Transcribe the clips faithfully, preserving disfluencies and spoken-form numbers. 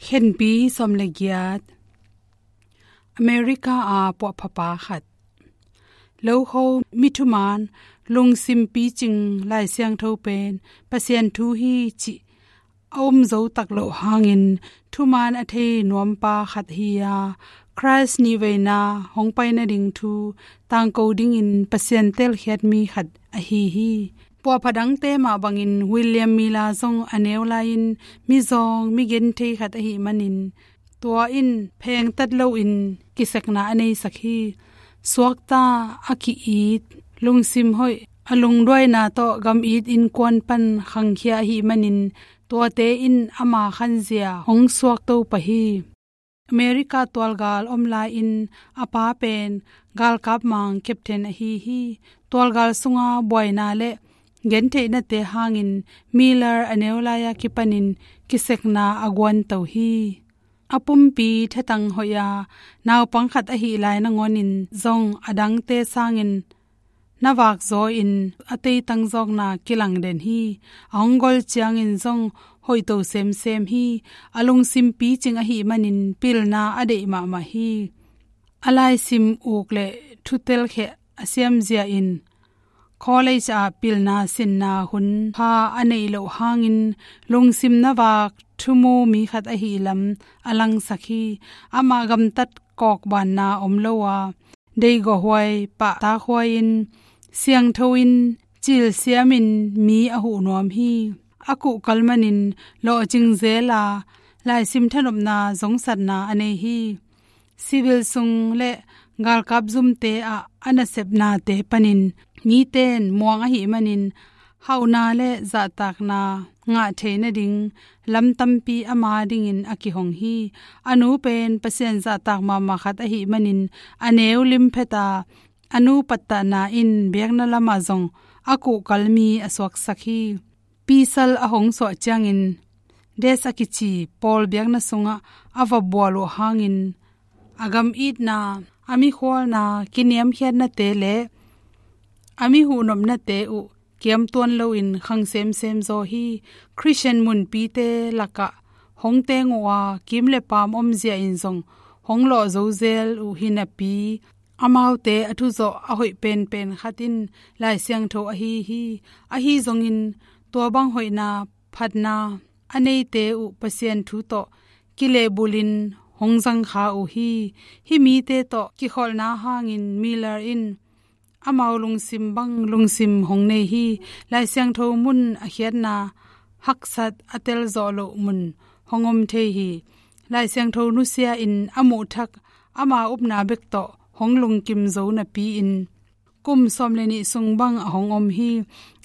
Khenpi sawm le giat. America a puahphapa khat. Lokho mi thuman, lungsim picing Lai Siangtho pen Pasian thu hi cih a um zo tak loh hangin thuman a thei nuampa khat hi a, Christ nihveina hong pai nading thu tangko dingin Pasian telkhiat mi khat ahi hi. Puahpha dangte mah bangin William Miller zong a neu lai-in mizawng, migenthei khat ahih manin, tua in phengtat loin kisekna a neisak hi. Suakta, a ki-it, lungsim hoih, a lungduaina tawh gam-it innkuan pan khangkhia ahih manin, tuate in ama khanzia hong suakto pah hi. America tualgal om lai-in a pa pen galkap mang captain ahi hi. Tualgal sunga buaina le gentheihnate hangin Miller a neu lai-a kipanin kisekna a guanto hi. A pumpi thatang hoih a, naupang khat ahih lai nangawnin zong a dangte sangin na vakzaw in a teitang zawkna kilangden hi. A hong gol ciangin zong hoihto semsem hi. A lungsim picing ahih manin pilna a deih mahmah hi. A laisim uk le thutelkhia a siamzia in college ah pilna sinna hun pha a neih loh hangin lungsim na vak thumu mi khat ahih lam a langsak hi. Ama gamtat kawkbanna om lo a, deigawhuai, pahtakhuai-in, siangtho-in, cilsiamin mi a huh nuam hi. A kuhkal manin lawhcing zel a, laisim thanopna zongsatna a nei hi. Civil sung le galkap zumte ah a nasepnate panin miten muang ahih manin hauhna le zahtakna ngah thei nading lam tampi ama dingin a kihong hi. A nu pen Pasian zahtak mahmah khat ahih manin a neu limphet a, a nu pattahna in biakna lamah zong a kuhkal mi a suaksak hi. Pisal a hong suah ciangin, Des a kici pawl biakna sungah a va bual uh hangin, a gam-itna, a mikhualna, kiniamkhiatnate le a mihuhnopnate uh kiamtuan loin khang semsem zaw hi. Christian munpite lakah hong teng uh a, kim le paam omzia in zong hong lawh zo zel uh hi napi, amaute a thuzawh a hoih penpen khat in Lai Siangtho ahi hi. Ahi zongin tua bang hoihna, phatna a neite uh Pasian thu tawh kilehbulhin hong zangkha uh hi. Hih mite tawh kikholhna hangin Miller in amau lungsim bang lungsim hong nei hi. Lai Siangtho mun a khiatna haksat a telzawh loh mun hong om thei hi. Lai Siangtho nusia in a muhthak ama upna bek tawh hong lungkim zo napi-in kum sawm le nih sung bang a hong om hi.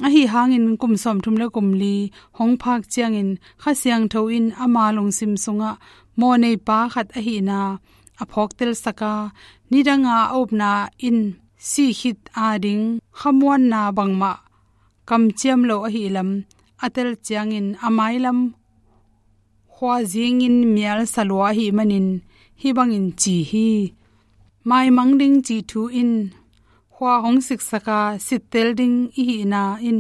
Ahi hangin kum sawmthum le kum li hong phak ciangin Kha Siangtho in ama lungsim sungah mawhneipa khat ahihna a phawktelsak a, nidanga a upna in sih khit ading khamuanna bangmah kamciam lo ahih lam a tel ciangin a mailam khuazingin mial salua ahih manin hih bangin ci hi. Maimang ding cih thu in khua hong siksak a, sittel ding i hihna in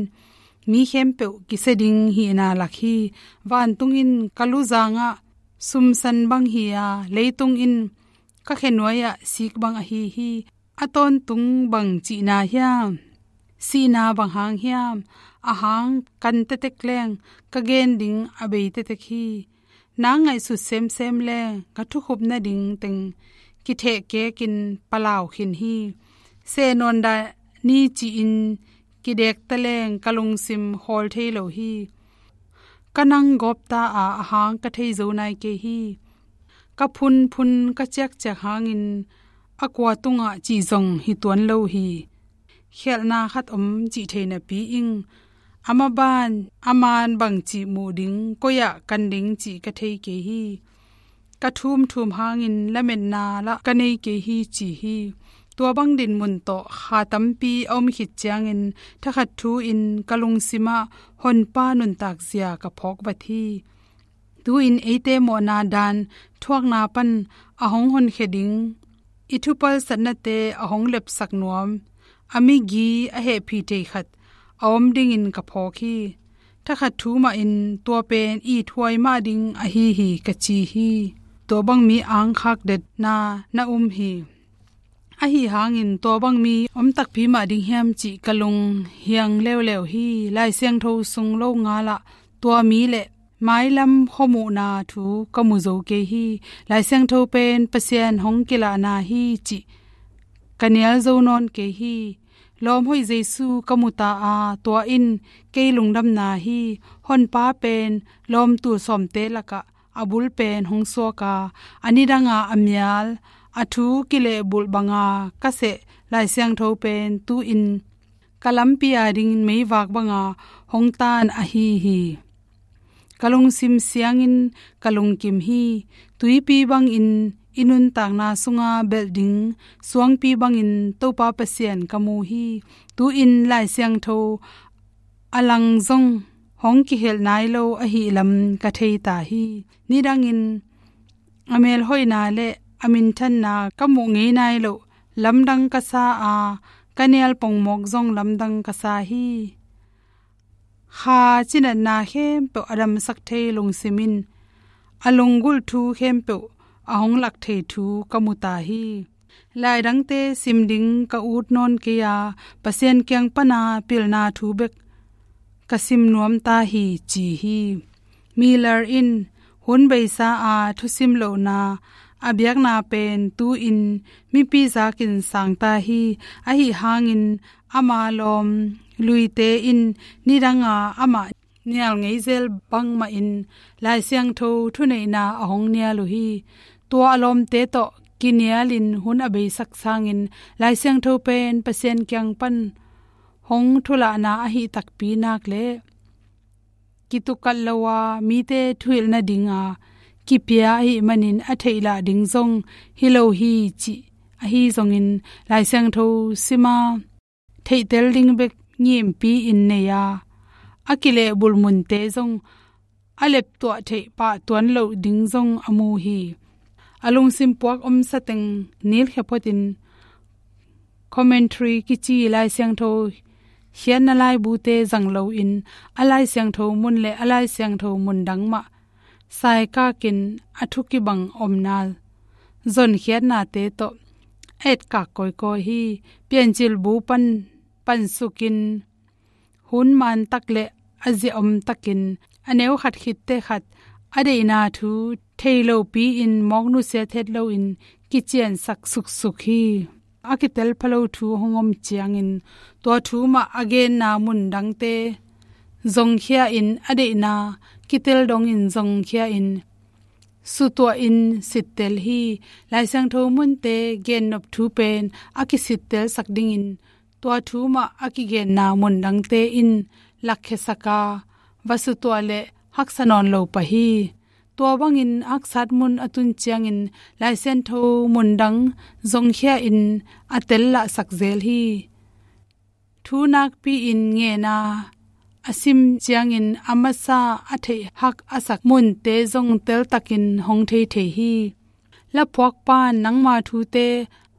mi khempeuh kisia ding hihna lak hi. Vantung in ka luzangah sumsan bang hi a, leitung in ka khenuai-ah sik bang ahi hi. A tawntung bang cihna hiam? Sihna bang hang hiam? A hang kan tetek leng ka gen ding a bei tetek hi. Nang ngaihsut semsem leng ka thukhup nading teng kithehkekin palau khin hi. Seh nawn dah ni ci-in kidekta leng ka lungsim khawl thei lo hi. Ka nang gawpta a, a hang ka thei zo nai kei hi. Ka phunphun ka ciakciak hangin a kua tungah cih zong hi tuan lo hi. Khialhna khat om cih thei napi-in a maban a man bang cih muh ding, koi-ah kan ding cih ka thei kei hi. Ka thumthum hangin lametna lah ka nei kei hi ci hi. Tua bang dinmun tawh kha tampi a om khit ciangin thakhat thu-in ka lungsimah Honpa nuntakzia ka phawk vat hi. Tu-in eite mawhna dan thuakna pan a hong honkhia ding, i thupalsatnate a hong lepsak nuam, a migi a hehpih thei khat a om dingin ka phawk hi. Ka khat thu mahin tua pen ithuai mah ding ahi hi ka ci hi. Tua bang mi angkhak detna na um hi. Ahi hangin tua bang mi om takpi mah ding hiam cih ka lung hiang leuleu hi. Lai Siangtho sung lo ngalah tua mi le mailam khuamuhna thu ka mu zo kei hi. Lai Siangtho pen Pasian hong kilahna hi cih ka nial zo nawn kei hi. Lawm hoih Jesu ka mu ta a, tua in kei lungdamna hi. Honpa pen lawm tul sawmte lakah a bul pen hong suak a, a nidanga a mial, a thu kilehbulh banga ka seh Lai Siangtho pen tu-in ka lampi adingin meivak banga hong tan ahi hi. Ka lungsim siangin ka lungkim hi. Tuipi bangin i nuntakna sunga belh ding suangpi bangin Topa Pasian ka mu hi. Tu-in Lai Siangtho a lang zong hong kihelh nai lo ahi lam ka thei ta hi. Nidangin a melhoihna le a minthanna ka muh ngei nai loh lamdang ka sa a, ka nial pongmawk zong lamdang ka sa hi. Kha cinatna khempeuh a damsak thei lungsim in a lunggulh thu khempeuh a hong lak thei thu ka mu ta hi. Laidangte sim ding ka ut nawn kei a, Pasian kiang pana pilna thu bek ka sim nuam ta hi ci hi. Miller in hun beisa a thusim lohna a biakna pen tu-in mipi zakin sang ta hi. Ahi hangin ama lawm luite in nidanga amah nial ngei zel bangmahin Lai Siangtho thuneihna a hong nial uh hi. Tua a lawmte tawh kinialin hun a beisak sangin Lai Siangtho pen Pasian kiang pan hong thulahna ahi takpi nak le kitukat lo a mite thuhilh nadinga kipia ahih manin a theihlah ding zong hi lo hi cih ahi zongin Lai Siangtho sima theihtel ding bek ngimpi-in nei a, a kilehbulh munte zong a leptuah theih pah tuan loh ding zong a mu hi. A lungsim puak omsa teng nilkhia photin commentary kici Lai Siangtho khiatna laibute zang loin a Lai Siangtho mun le a Lai Siangtho mundang mah saikakin a thu kibang omna zonkhiatnate tawh a etkak kawikawi hi. Piancil bu pan pansukin hun mantak le a zia omtakin a neu khat khitte khat a deihna thu thei lopi-in mawk nusiat het loin kiciansak suksuk hi. A kitel phalo thu hong om ciangin tua thu mah a genna mundangte zongkhia-in a deihna kitel dongin zongkhia-in sutuahin sittel hi. Lai Siangtho munte gennop thu pen a kisittelsak dingin tua thu mah a kigenna mundangte in lakkhiasak a, va sutuah le haksa nawn lo pah hi. Tua bangin haksat mun a tun ciangin Lai Siangtho mundang zongkhia-in a tellahsak zel hi. Thu nakpi-in ngena a sim ciangin a masa a theih hak a sak munte zong teltakin hong thei thei hi. Laphuakpa in nangma thute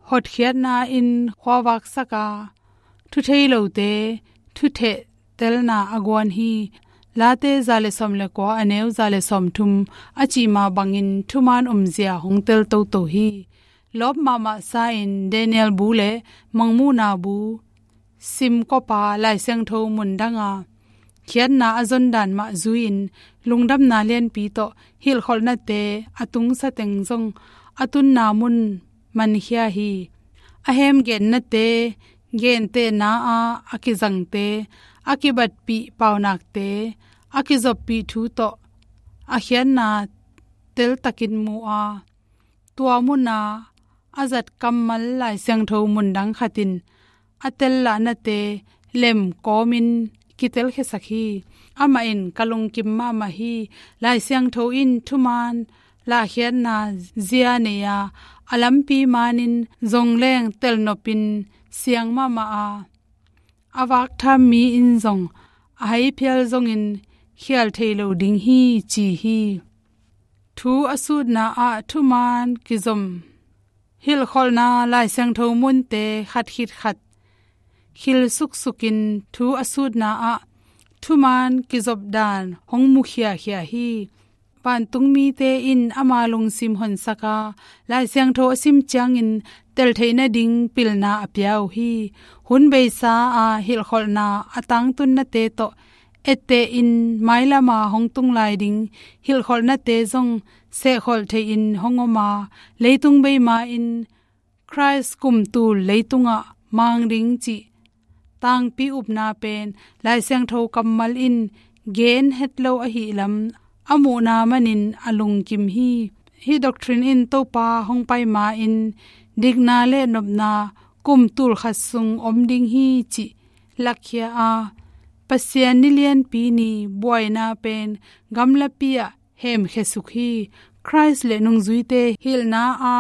hotkhiatna in khuavaksak a, thuthei lote thutheh telna a guan hi. Late za le sawm le kua a neu za le sawm thum a cihma bangin thuman omzia hong tel toto hi. Lawp mahmah sa-in Daniel bu le Mangmuhna bu simkawpa Lai Siangtho mundanga khiatna a zondan mah zui-in lungdamna lianpi tawh hilhkholhnate a tungsa teng zong a tunna mun mankhia hi. A hemgennate gentehna a a kizangte a kibatpih paunakte a kizoppih thu tawh a khiatna teltakin mu a, tua muna a zat kammal Lai Siangtho mundang khatin a tellahnate lem kawmin kitelkhiasak hi. Amah in ka lungkim mahmah hi. Lai Siangtho in thuman lahkhiatna zia nei a, a lampi manin zongleng telnopin siang mahmah a, a vaktham mi in zong a haiphial zongin khial thei lo ding hi ci hi. Thu a sutna ah thuman kizom hilhkholhna Lai Siangtho munte khat khit khat khil suksukin thu a sutna ah thuman kizop dan hong mukhiakhia hi. Vantungmite in ama lungsim honsak a, Lai Siangtho a sim ciangin teltheih nading pilna a pia uh hi. Hun beisa a hilhkholhna a tangtunnate tawh, etteh in mailama hong tung lai ding hilhkholhnate zong sehkholh thei-in hong om a, leitung beima in Khrist kum tul leitungah mang ding cih tangpi upna pen Lai Siangtho kammal in gen het lo ahih lam a muhna manin a lungkim hi. Hih doctrine in Topa hong pai ma-in dikna le nopna kum tul khat sung om ding hi cih lakkhia a, Pasian ni lianpi ni buaina pen gamlapi ah hemkhia suk hi. Khrist le nungzuite hilhna a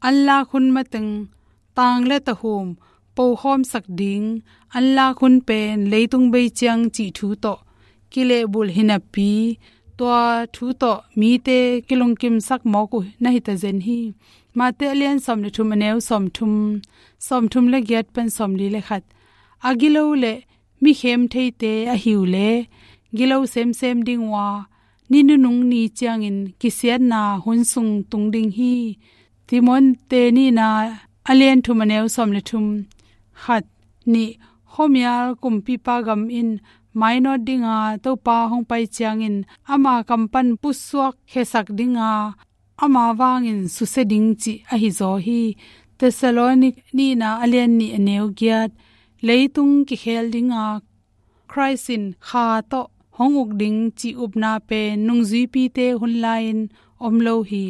anlak hun mateng tang le tahum pokhawmsak ding anlak hun pen leitung bei ciang cih thu tawh kilehbulh hi napi, tua thu tawh mite kilungkimsak mawk uh na hi ta zen hi. Mate a lian sawm le thum, a neu sawm thum, sawm thum le giat pan sawm li le khat. A gilo le mi khem theite a hi uh leh, gilo semsem ding uh a, ni nunung ni ciangin kisiatna hun sung tung ding hi. Timoti nihna a lian thum, a neu sawm le thum. Khat, nih, khuamial kumpipa gam in mainawt ding a, Topa hong pai ciangin ama kam pan pusuak khiasak ding a, ama vangin susia ding cih ahi zaw hi. Thessaloni nihna a lian nih, a neu giat. Leitung kikhel ding a, Khrist in kha tawh hong uk ding cih upna pen nungzuipite hun lai-in om lo hi.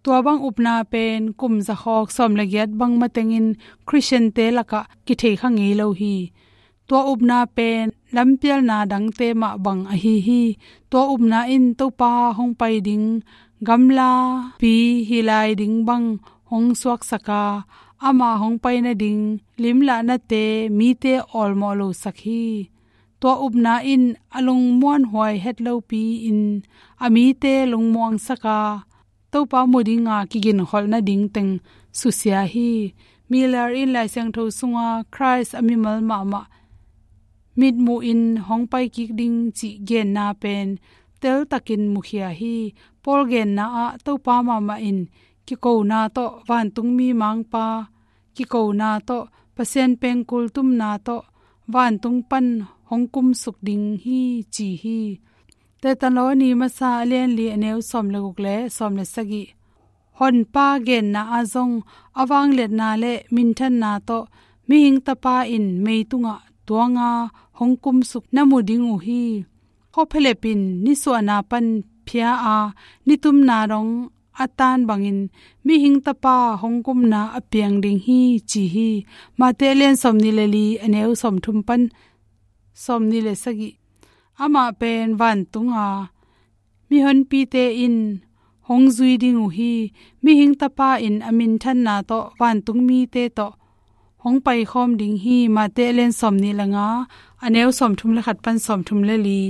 Tua bang upna pen kum zakhawk sawm le giat bang matengin Khristiante lakah kithei kha ngei lo hi. Tua upna pen lampialna dangte mah bang ahi hi. Tua upna in Topa hong pai ding gamlapi hi lai ding bang hong suaksak a, ama hong pai nading limlahnate mite awlmawh losak hi. Tua upna in a lungmuanhuai het lopi-in a mite lungmuangsak a, Topa mu dinga kiginkholh nading teng susia hi. Miller in Lai Siangtho sunga Khrist a mimal mahmah mitmuh in hong pai kik ding cih genna pen teltakin mukhia hi. Paul genna ah Topa mahmah in kikona tawh vantungmi mangpa, kikona tawh Pasian pengkul tumna tawh vantung pan hong kumsuk ding hi ci hi. Thessaloni masa a lian li, a neu sawm le guk le sawm le sagih. Honpa genna ah zong a vangliatna le minthanna tawh mihing tapa in meitungah tuanga hong kumsuk na mu ding uh hi. Khuaphialep in nisuahna pan phia a, nitumna dong a tan bangin mihing tapa hong kumna a piang ding hi ci hi. Mate a lian sawm nih le li, a neu sawm thum pan sawm nih le sagih. Amah pen vantunga mihonpite in hong zui ding uh hi. Mihing tapa in a minthanna tawh vantungmite tawh hong paikhawm ding hi. Mate a lian sawm nih le nga, a neu sawm thum le khat pan sawm thum le li.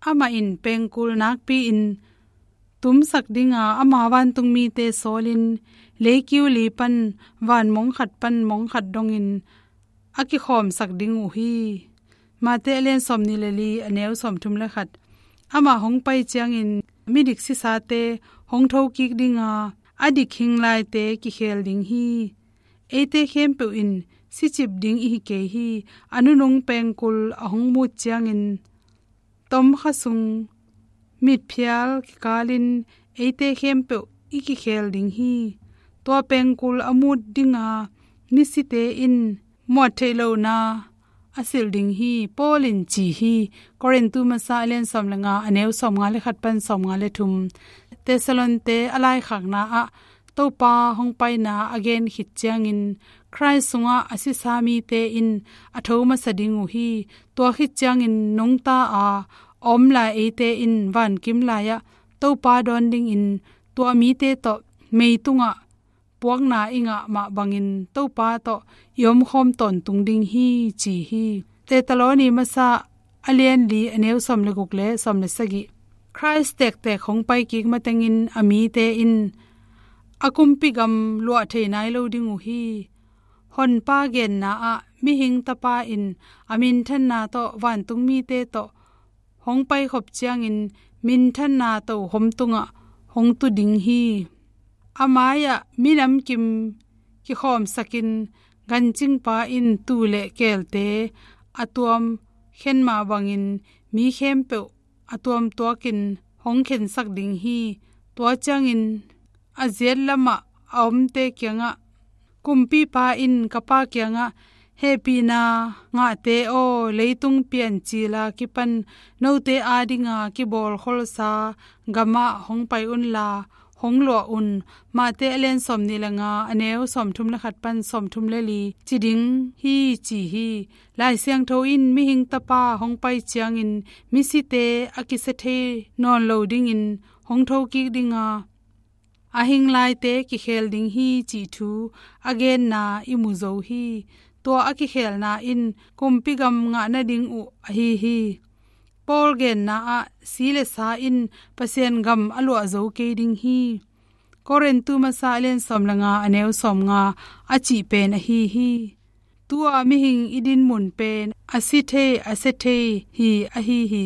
Amah in pengkul nakpi-in tumsak dinga ama vantungmite sawlin leikiu li pan van mong khat pan mong khat dongin a kikhawmsak ding uh hi. Mate a lian sawm nih le li, a neu sawm thum le khat. Amah hong pai ciangin midik sisate hong thokik dinga a dik hing laite kikhel ding hi. Eite khempeuh in sicip ding ihi kei hi. A nunung pengkul a hong mut ciangin tomkha sung mitphial kikalin eite khempeuh i kikhel ding hi. Tua pengkul a mut dinga misite in muat theih lohna a silh ding hi. Paul in ci hi. Korintu masa a lian sawm le nga, a neu sawm nga le khat pan sawm nga le thum. Thessalonte a laikhakna ah Topa hong paina a gen khit ciangin Khrist sungah a sisa mite in a tho masa ding uh hi. Tua khit ciangin nungta a om lai eite in vankim lai-ah Topa dawn dingin tua mite tawh meitungah puakna i ngah mah bangin Topa tawh i omkhawm tawntung ding hi ci hi. Thessaloni masa a lian li, a neu sawm le guk le sawm le sagih. Khrist tektek hong pai kik matengin a mite in a kumpi gam luah thei nai lo ding uh hi. Honpa genna ah mihing tapa in a minthanna tawh vantung mite tawh hong paikhop ciangin minthanna tohom tungah hong tu ding hi. A mai-ah minam kim kikhawmsakin gancingpa in tuu le keelte a tuam khen mah bangin mi khempeuh a tuamtuakin hong khensak ding hi. Tua ciangin a ziat lamah a omte kiangah, kumpipa in ka Pa kiangah, hehpihna ngahte aw, leitung piancil a kipan note adinga kibawlkholsa gamah hong pai unla, hong luah un. Mate a lian sawmnih le nga, a neu sawmthum le khat pan sawmthum le li ci ding hi, ci hi. Lai Siangtho in mihing tapa hong pai ciangin misite a kisia thei nawn lo dingin hong thokik dinga, a hing laite kikhel ding hi cih thu a genna i mu zo hi. Tua a kikhelna in kumpi gam ngah nading uh ahi hi. Paul genna ah si le sa in Pasian gam a luah zo kei ding hi. Korintu masa a lian sawm le nga, a neu sawm nga a cih pen ahi hi. Tua mihing i dinmun pen a si thei, a sia thei hi ahi hi.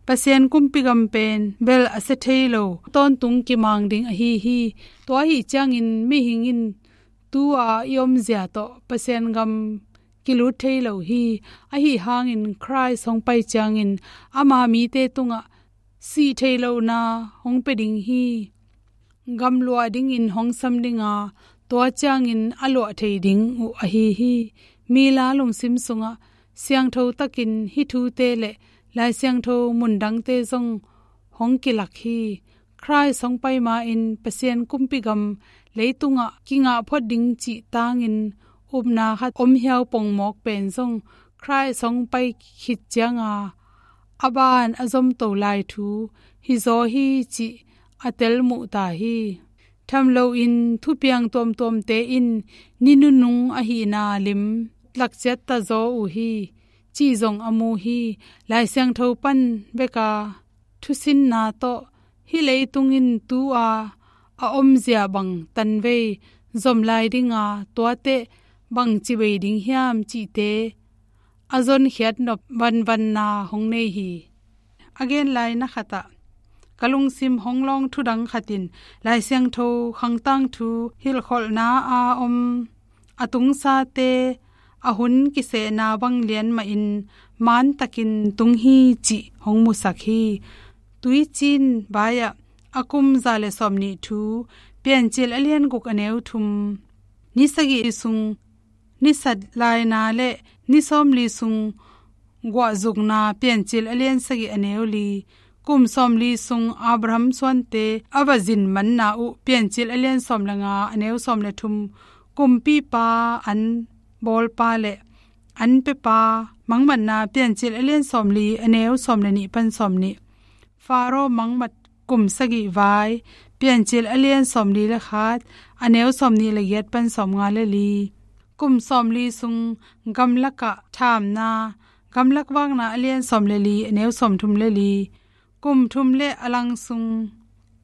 Pasian kumpi gam pen bel a sia thei lo, tawntung kimang ding ahi hi. Tua ahi ciangin mihing in tua i omzia tawh Pasian gam kilut thei lo hi. Ahi hangin Khrist hong pai ciangin ama mite tungah sih thei lohna hong pia ding hi. Gam luah dingin hong sam dinga, tua ciangin a luah thei ding uh ahi hi. Mila lungsim sungah siangtho takin hih thute le Lai Siangtho mundangte zong hong kilak hi. Khrist hong pai ma-in Pasian kumpi gam leitungah kingah phot ding cih tangin upna khat om hiau pongmawk pen zong Khrist hong pai khit cianga a ban a zomto lai thu hizaw hi cih a tel muh ta hi. Tham loin thupiang tuamtuamte in ni nunung ahihna lim tlakciat ta zaw uh hi, cih zong a mu hi. Lai Siangtho pan beka thusinna tawh hih leitung in tu-a a omzia bang tanvei zom lai dinga, tuate bang ci bei ding hiam cihte a zonkhiat nop vanvanna hong nei hi. A gen lai na khatah ka lungsim hong lawng thudang khat in Lai Siangtho khangtang thu hilhkholhna a om a tungsate a hun kisehna bang lian mahin mantakin tung hi cih hong musak hi. Tuicin vai-ah a kum za le sawmnih thu, Piancil a lian guk a neu thum, ni sagih sung ni sat laina le ni sawmli sung guahzukna, Piancil a lian sagih a neu li, kum sawmli sung Abraham suante a va zin manna uh, Piancil a lian sawm le nga a neu sawm le thum, kumpipa an bawlpa le an pepa mangmatna, Piancil a lian sawmli a neu sawm le nih pan sawmnih, Faro mangmat kum sagih vai, Piancil a lian sawmli le khat a neu sawmnih le giat pan sawmnga le li, kum sawmli sung gamlakah thamna, Gamlak Vakna a lian sawm le li a neu sawmthum le li, kum thum le a lang sung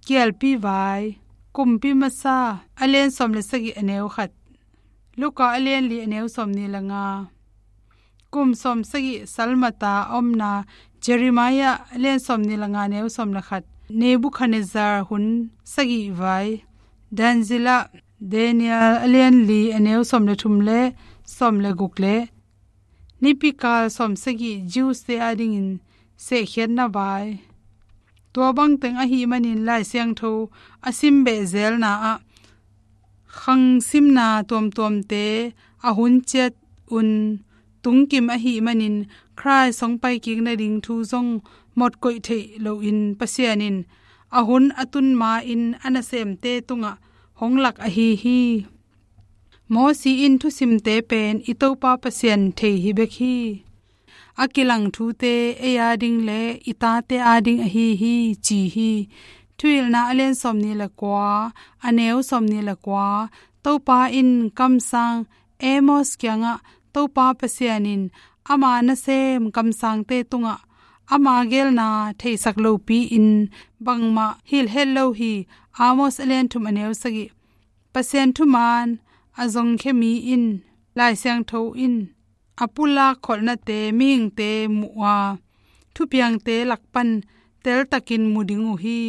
Kialpi Vai, Kumpi Masa a lian sawm le sagih a neu khat, Luka a lian li a neu sawmnih le nga, kum sawm sagih salmata a omna, Jeremiah a lian sawmnih le nga a neu sawm le khat, Nebuchadnezzar hun sagih vai, Daniel, Daniel a lian li a neu sawm le thum le sawm le guk le nipikal sawm sagih Jews-te adingin sehkhiatna vai. Tua bangteng ahih manin Lai Siangtho a sim behzelna ah khangsimna tuamtuamte a hun ciat un tungkim ahih manin Khrist hong paikik nading thu zong mawk koih theih loin Pasian in a hun a tun ma-in a nasemte tungah hong lak ahi hi. Mosi in thusimte pen i Topa Pasian thei hi bek hi. A kilang thute ei ading le i tate ading ahi hi, ci hi. Thuhilhna a lian sawmnih le kua, a neu sawmnih le kua, Topa in kamsang Amos kiangah Topa Pasian in ama nasem kamsangte tungah ama gelna theisak lopi-in bangmah hilh het lo hi. Amos a lian thum a neu sagih. Pasian thuman a zongkhia mi in Lai Siangtho in a pulak kholhnate mihingte muh a, thupiangte lak pan teltakin mu ding uh hi.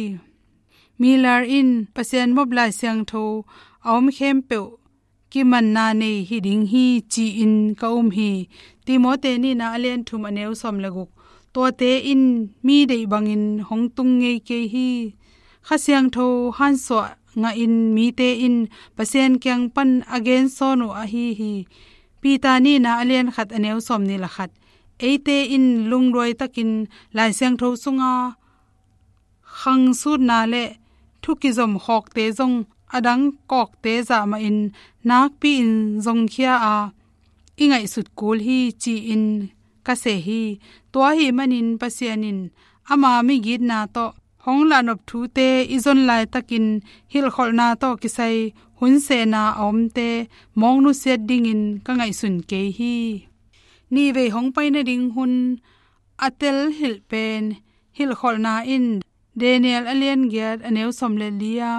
Miller in Pasian mop Lai Siangtho a om khempeuh kimanna nei hi ding hi ci-in ka um hi. Timote nihna a lian thum a neu sawm le guk. Tuate in mi deih bangin hong tung ngei kei hi. Kha Siangtho hansuah ngahin mite in Pasian kiang pan a gensawn uh ahi hi. Peter nihna a lian khat a neu sawm nih le khat. Eite in lungduai takin Lai Siangtho sunga khangsutna le thu kizom khawkte zong a dang kawkte zah mahin nakpi-in zongkhia a i ngaihsut kul hi ci-in ka seh hi. Tua ahih manin Pasian in ama migitna tawh hong lahnop thute i zon laitakin hilhkholhna tawh kisai hun sehna a omte mawk nusiat dingin ka ngaihsun kei hi. Nihvei hong pai nading hun a tel hilh pen hilhkholhna in Daniel a lian giat a neu sawm le li-a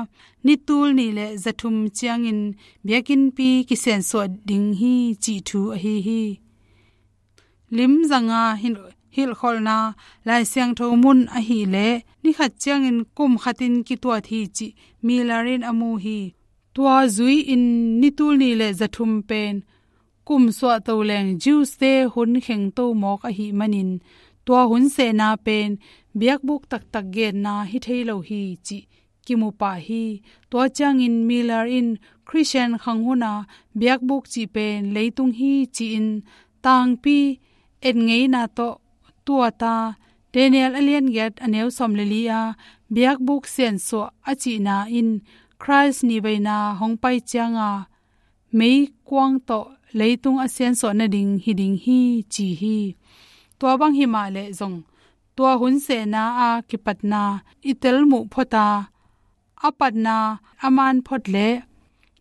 ni tul nih le za thum ciangin biakinnpi kisiansuah ding hi cih thu ahi hi. Lim zanga hilh-, hilhkholhna Lai Siangtho mun ahih leh ni khat ciangin kum khatin kituat hi cih Miller in a mu hi. Tua zui-in ni tul nih le za thum pen kum suahto leng Jews-te hun khengto mawk ahih manin tua hun sehna pen biakbuk taktak genna hi thei lo hi cih kimu pah hi. Tua ciangin Miller in Christian khang huna biakbuk cih pen leitung hi ci-in tangpi et ngeina tawh tuat a, Daniel a lian giat a neu sawm le li-a biakbuk siansuah a cihna in Christ nihveina hong pai cianga meikuang tawh leitung a siansuah nading hi ding hi ci hi. Tua bang himah leh zong tua hun sehna a kipatna i tel muh phota a patna a man phot leh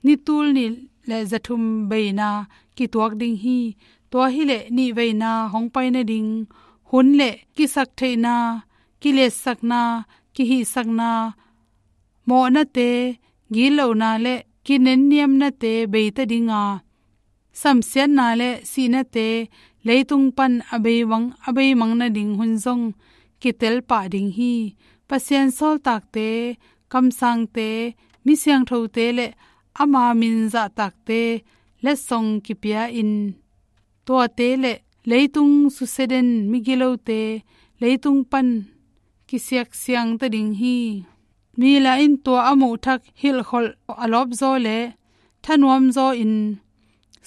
ni tul nih le za thum beina kituak ding hi. Tua hileh nihveina hong pai nading hun le kisaktheihna, kiliatsakna, kihihsakna, mawhnate, gitlohna le kinenniamnate beita dinga samsiatna le sihnate leitung pan a beimang, a beimang nading hun zong kitel pah ding hi. Pasian sawltakte, kamsangte, mi siangthote le ama min zahtakte letsong kipia-in tuate le leitung susia den migilote leitung pan kisiaksiangta ding hi. Miller in tua a muhthak hilhkholh a lawpzaw le thanuamzaw in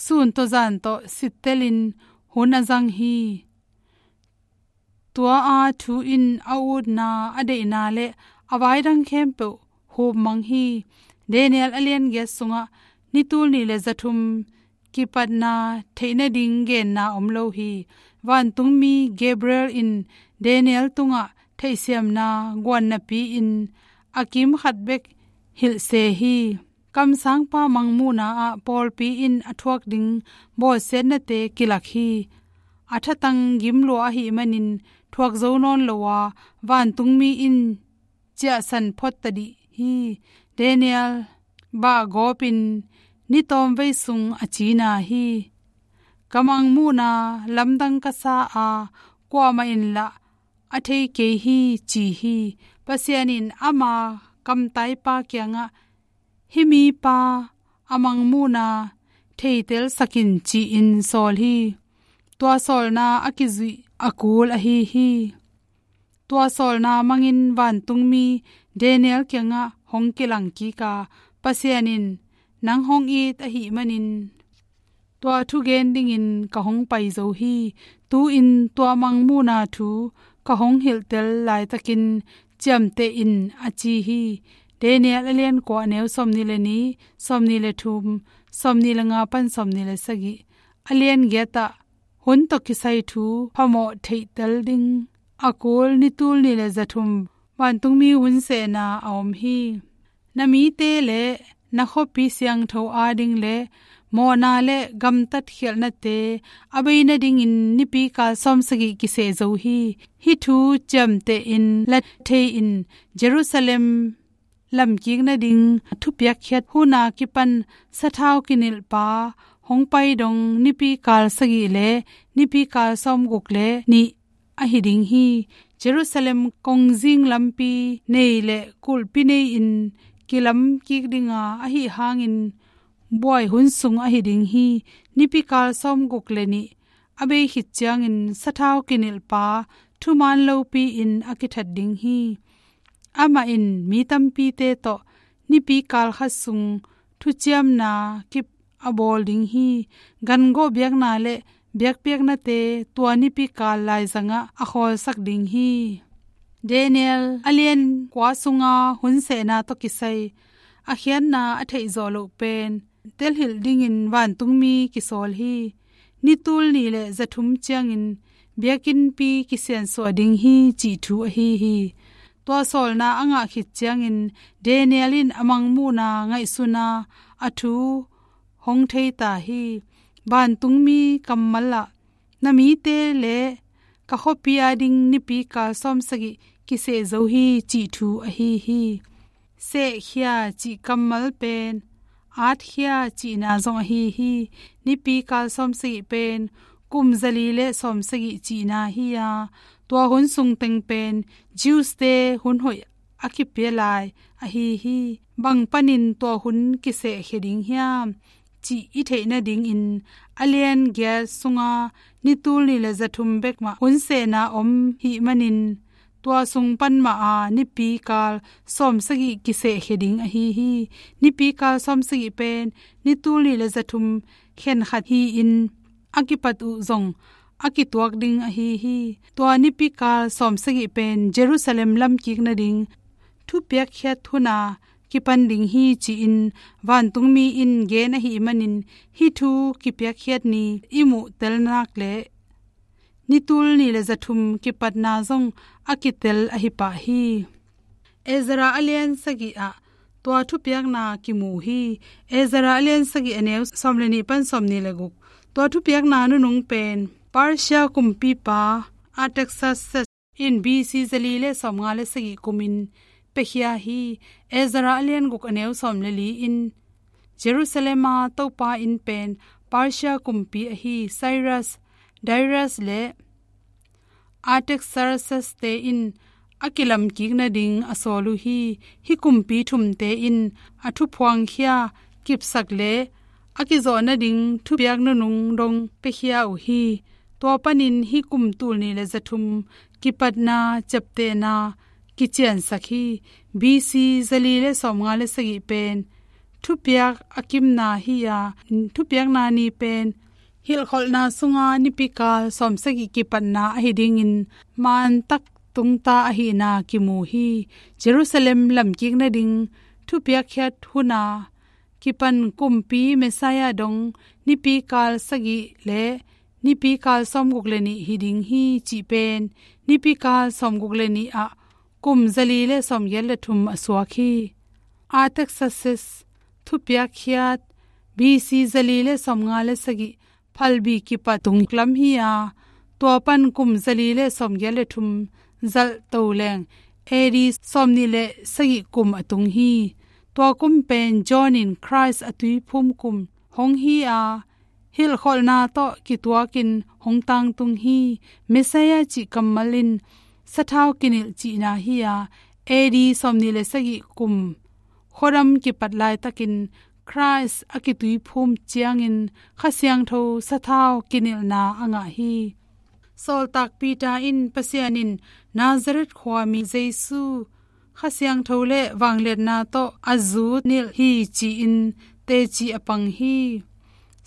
sun tawh zan tawh sittelin hun a zang hi. Tua a thu in a utna, a deihna le a vaidang khempeuh hupmang hi. Daniel a lian giat sungah ni tul nih le za thum kipatna theih nading genna om lo hi. Vantungmi Gabriel in Daniel tungah theihsiamna guannapi-in a kim khat bek hilhse hi. Kamsangpa mangmuhna ah pawlpi in a thuak ding bawlsiatnate kilak hi. A thatang gimlua ahih manin thuak zo nawn lo a, vantungmi in ciahsan phot tadih hi. Daniel bah gawpin ni tawmvei sung a cina hi. Ka mangmuhna lamdang ka sa a, kuamah in lah a thei kei hi ci hi. Pasian in ama kamtaipa kiangah hih mipa a mangmuhna theitelsak in ci-in sawl hi. Tua sawlna a kizuih a kul ahi hi. Tua sawlna mangin vantungmi Daniel kiangah hong kilang kik a, Pasian in nang hong it ahih manin tua thugen dingin ka hong pai zo hi. Tu-in tua mangmuhna thu ka hong hilhtel laitakin ciamteh in a ci hi. Daniel a lian kua a neu sawmnih le nih, sawmnih le thum, sawmnih le nga pan sawmnih le sagih. A lian giat ah hun tawh kisai thu phamawh theihtel ding a kul ni tul nih le za thum vantungmi hun sehna a om hi. Na mite le na khuapi siangtho ading le mawhna le gamtat khialhnate a bei nadingin nipikal sawmsagih kiseh zo hi. Hih thu ciamteh in la thei in Jerusalem lamkik nading thupiakkhiat huna kipan sathau kinilhpa hong pai dong nipikal sagih le nipikal sawmguk le nih ahi ding hi. Jerusalem kongzing lampi nei le kulhpi nei-in kilamkik dinga ahi hangin buai hun sung ahi ding hi. Nipikal sawmguk le nih a bei khit ciangin sathau kinilhpa thuman lopi-in a kithat ding hi. Amah in mi tampite tawh nipikal khat sung thuciamna kip a bawl ding hi. Gangawh biakna le biakpiaknate tua nipikal laizangah a khawlsak ding hi. Daniel a lian kua sunga hun sehna tawh kisai a khiatna a theihzawh loh pen telhilh dingin vantungmi kisawl hi. Ni tul nih le zathum ciangin biakinnpi kisiansuah ding hi cih thu ahi hi. Tua sawlna a ngah khit ciangin Daniel in a mangmuhna ngaihsuna a thu hong thei ta hi. Vantungmi kammal ah na mite le ka khuapi ading nipikal sawmsagih kiseh zo hi cih thu ahi hi. Sehkhia cih kammal pen atkhia cihna zong ahi hi. Nipikal sawmsagih pen kum zali le sawmsagih cihna hi a, tua hun sung teng pen Jews-te hun hoih a kipia lai ahi hi. Bang panin tua hun kisehkhia ding hiam cih i theih nadingin a lian giat sunga ni tul nih le zathum bek mah hun sehna om hih manin tua sung pan mah a nipikal sawmsagih kisehkhia ding ahi hi. Nipikal sawmsagih pen ni tul nih le zathum khenkhat hi-in a kipat uh zong a kituak ding ahi hi. Tua nipikal sawmsagih pen Jerusalem lamkik nading thupiakkhiat huna kipan ding hi ci-in vantungmi in gen ahih manin hih thu kipiakkhiat ni i muh tel nak le ni tul nih le zathum kipatna zong a kitel ahi pah hi. Ezra a lian sagih ah tua thupiakna kimu hi. Ezra a lian sagih a neu sawm le nih pan sawm nih le guk. Tua thupiakna nunung pen Persia kumpipa Artaxerxes in B C zali le sawmnga le sagih kumin piakhia hi. Ezra a lian guk a neu sawm le li in Jerusalem a Topa inn pen Persia kumpi ahi Cyrus, Darius le Artaxerxes-te in a kilamkik nading a sawl uh hi. Hih kumpi thumte in a thuphuangkhia kipsak le a kizawh nading thupiak nunung dong piakhia uh hi. Tua panin hih kum tul nih le zathum kipatna ciaptehna kiciansak hi. B C zali le sawmnga le sagih pen thupiak a kimna hi a, thupiakna ni pen hilhkholhna sunga nipikal sawmsagih kipatna ahi dingin mantak tungta ahihna kimu hi. Jerusalem lamkik nading thupiakkhiat huna kipan kumpi Messiah dong nipikal sagih le nipikal sawmguk le nih hi ding hi cih pen nipikal sawmguk le nih ah kum zali le sawmgiat le thum a suak hi. Artaxerxes thupiakkhiat B C zali le sawmnga le sagih phalbi kipat tung lam hi a, tua pan kum zali le sawmgiat le thum zalh to leng A D sawmnih le sagih kum a tung hi. Tua kum pen John in Christ a tuiphum kum hong hi a, hilhkholhna tawh kituakin hong tangtung hi. Messiah cih kammal in sathau kinilh cihna hi a, A D sawmnih le sagih kum khuadam kipat laitakin Christ a kituiphum ciangin Kha Siangtho sathau kinilhna a ngah hi. Sawltak Peter in Pasian in Nazareth khuami Jesu Kha Siangtho le vangliatna tawh a zut nilh hi ci-in teci a pang hi.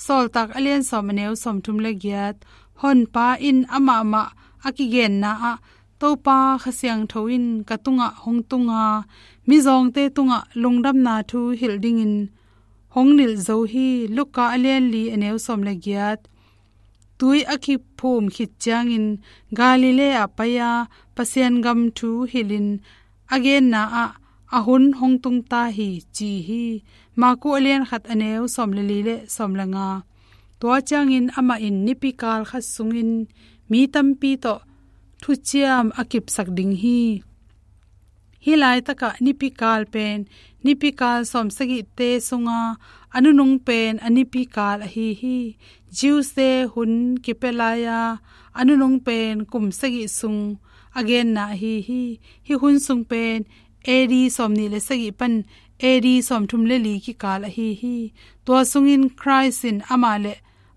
Sawltak a lian sawm a neu sawmthum le giat. Honpa in amah mah a kigenna ah Topa Kha Siangtho in ka tungah hong tunga mizawngte tungah lungdamna thu hilh dingin hong nilh zo hi. Luka a lian li a neu sawm le giat. Tui a kiphum khit ciangin Galilee ah pai-a Pasian gam thu hilhin a genna ah a hun hong tungta hi ci hi. Marku a lian khat a neu sawm le li le sawm le nga. Tua ciangin amah in nipikal khat sungin mi tampi tawh thuciam a kipsak ding hi. Hih laitakah nipikal pen nipikal sawmsagihte sunga a nunung pen a nipikal ahi hi. Jews-te hun kipia lai-a a nunung pen kum sagih sung a genna ahi hi. Hih hun sung pen A D sawmnih le sagih pan A D sawmthum le li kikal ahi hi. Tua sungin Christ in amah le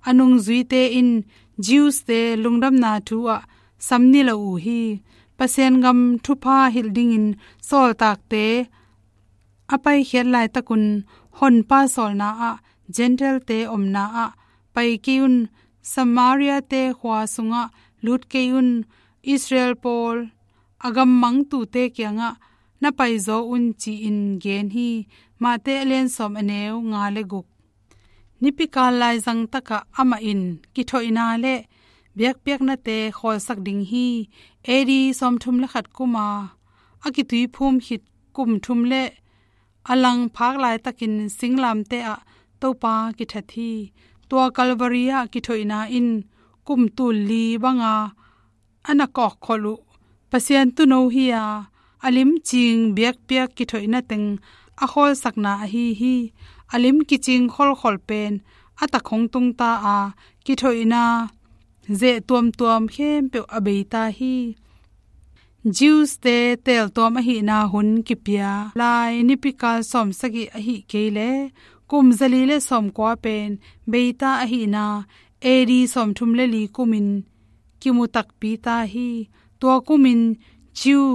a nungzuite in Jews-te lungdamna thu ah sam ni lo uh hi. Pasian gam thupha hilh dingin sawltakte a paikhiat laitakun Honpa sawlna ah Gentile-te omna ah pai kei un, Samaria-te khua sungah lut kei un, Israel pawl a gam mangtute kiangah na paizaw un ci-in gen hi. Mate a lian sawm a neu nga le guk. Nipikal laizang takah amah in kithoihna le biakpiaknate khawlsak ding hi. A D sawmthum le khat kuma a kituiphum khit kum thum le a lang phak laitakin singlamteh ah Topa kithat hi. Tua Calvary ah kithoihna in kum tul li banga a na kawkkholh uh Pasian tuuno hi-a, a limcing biakpiak kithoihna teng a khawlsakna ahi hi. A lim kicing kholkholh pen a tak hong tungta-a, kithoihna zeh tuamtuam khempeuh a beita hi. Jews-te teeltuam ahihna hun kipia lai nipikal sawmsagih ahih kei leh kum zali le sawmkua pen beita ahihna A D sawmthum le li kumin kimu takpi ta hi. Tua kumin Jew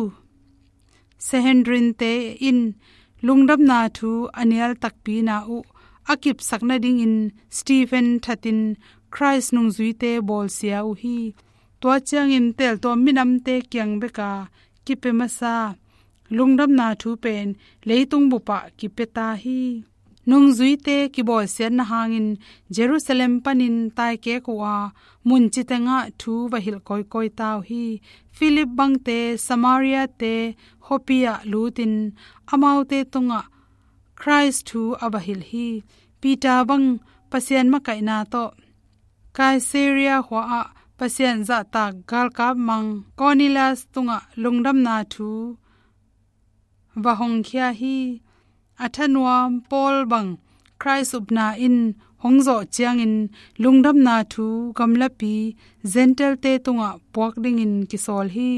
Sanhedrin-te in lungdamna thu a nial takpi na uh a kipsak nadingin Stephen thatin Christ nungzuite bawlsia uh hi. Tua ciangin teeltuam minamte kiang beka kipia masa lungdamna thu pen leitung bupah kipia ta hi. Nungzuite kibawlsiatna hangin Jerusalem panin taikek uh a, mun citengah thu va hilh kawikawi ta uh hi. Philip bangte Samaria-te khuapi ah lutin amaute tungah Christ thu a va hilh hi. Peter bang Pasian makaihna tawh Caesarea khua ah Pasian zahtak galkap mang Cornelius tungah lungdamna thu va hongkhia hi. A thanuam Paul bang Christ upna in hong zawh ciangin lungdamna thu gamlapi Gentile-te tungah puak dingin kisawl hi.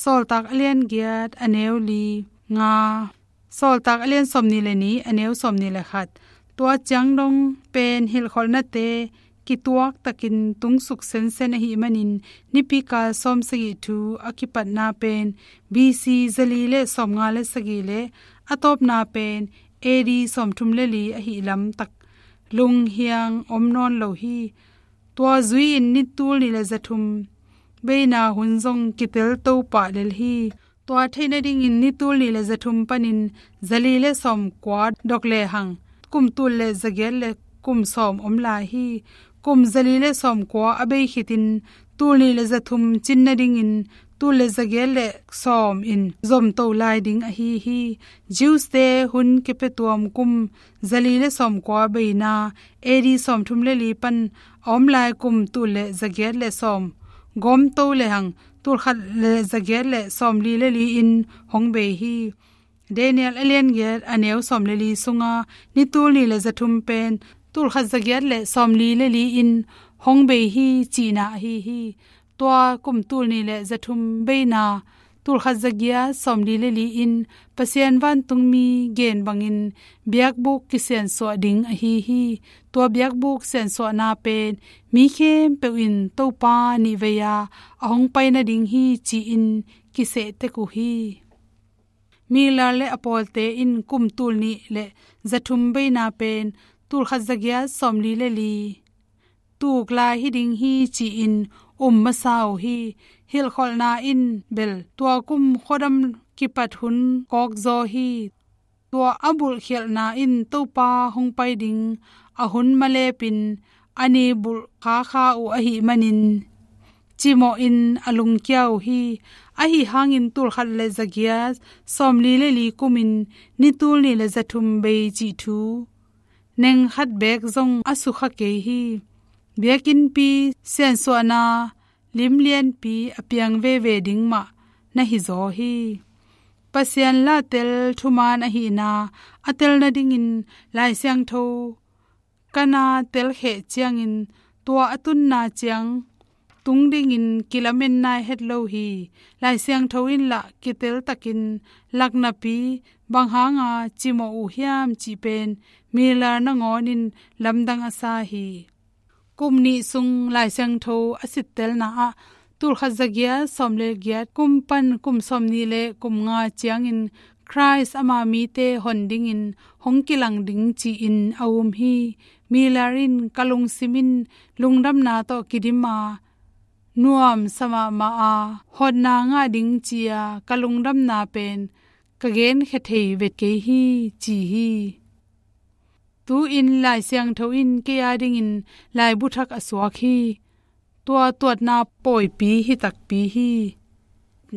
Sawltak a lian giat a neu li nga. Sawltak a lian sawmnih le nih a neu sawmnih le khat. Tua ciang dong pen hilhkholhnate kituak takin tungsuk sensen ahih manin nipikal sawmsagih thu a kipatna pen B C zali le sawmnga le sagih le a tawpna pen A D sawmthum le li ahih lamtak lunghiang om nawn lo hi. Tua zui-in ni tul nih le zathum beina hun zong kitel to pah lel hi. Tua theih nadingin ni tul nih le zathum panin zali le sawmkua dok lehang kum tul le zagiat le kum sawm om lai hi. Kum zali le sawmkua a bei khitin tul nih le zathum cin nadingin tul le zagiat le sawm in zomto lai ding ahi hi. Jews-te hun kipia tuam kum zali le sawmkua beina A D sawmthum le li pan a om lai kum tul le zagiat le sawm gawmto lehang tul khat le zagiat le sawmli le li in hong bei hi. Daniel a lian giat a neu sawm le li sunga ni tul nih le zathum pen tul khat zagiat le sawmli le li in hong bei hi cihna ahi hi. Tua kum tul nih le zathum beina tul khat zagiat sawmli le li in Pasian vantungmi gen bangin biakbuk kisiansuah ding ahi hi. Tua biakbuk siansuahna pen mi khempeuh in Topa nihvei-a a hong pai nading hi ci-in kiseh tek uh hi. Miller le a pawlte in kum tul nih le zathum beina pen tul khat zagiat sawmli le li tuk lai hi ding hi ci-in um masa uh hi. Hilhkholhna in bel tua kum khuadam kipat hun kawkzaw hi. Tua a bulhkhialhna in Topa hong pai ding a hun malepin a ni bulh khakha uh ahih manin cimawhin a lungkia uh hi. Ahi hangin tul khat le zagiat sawmli le li kumin ni tul nih le zathum bei cih thu neng khat beek zong a sukha kei hi. Biakinnpi siansuahna lim lianpi a piang veve ding mah na hizaw hi. Pasian la tel thuman ahihna a tel nadingin Lai Siangtho ka na telkheh ciangin tua a tunna ciang tung dingin kilamen nai het lo hi. Lai Siangtho in lah kiteltakin lak napi bang hanga cimawh uh hiam cih pen Miller nangawnin lamdang a sa hi. Kum nih sung Lai Siangtho a sittelna ah tulkhat zagiat sawm le giat kum pan kum sawm nih le kum nga ciangin Christ ama mite hon dingin hong kilang ding ci-in a um hi. Miller in ka lungsim in lungdamna tawh kidim a nuamsa mahmah a hotna ngah ding ci-a ka lungdamna pen ka genkhia thei vet kei hi ci hi. Tu-in Lai Siangtho in kei a dingin laibu thak a suak hi. Tua tuatna pawipi hi takpi hi.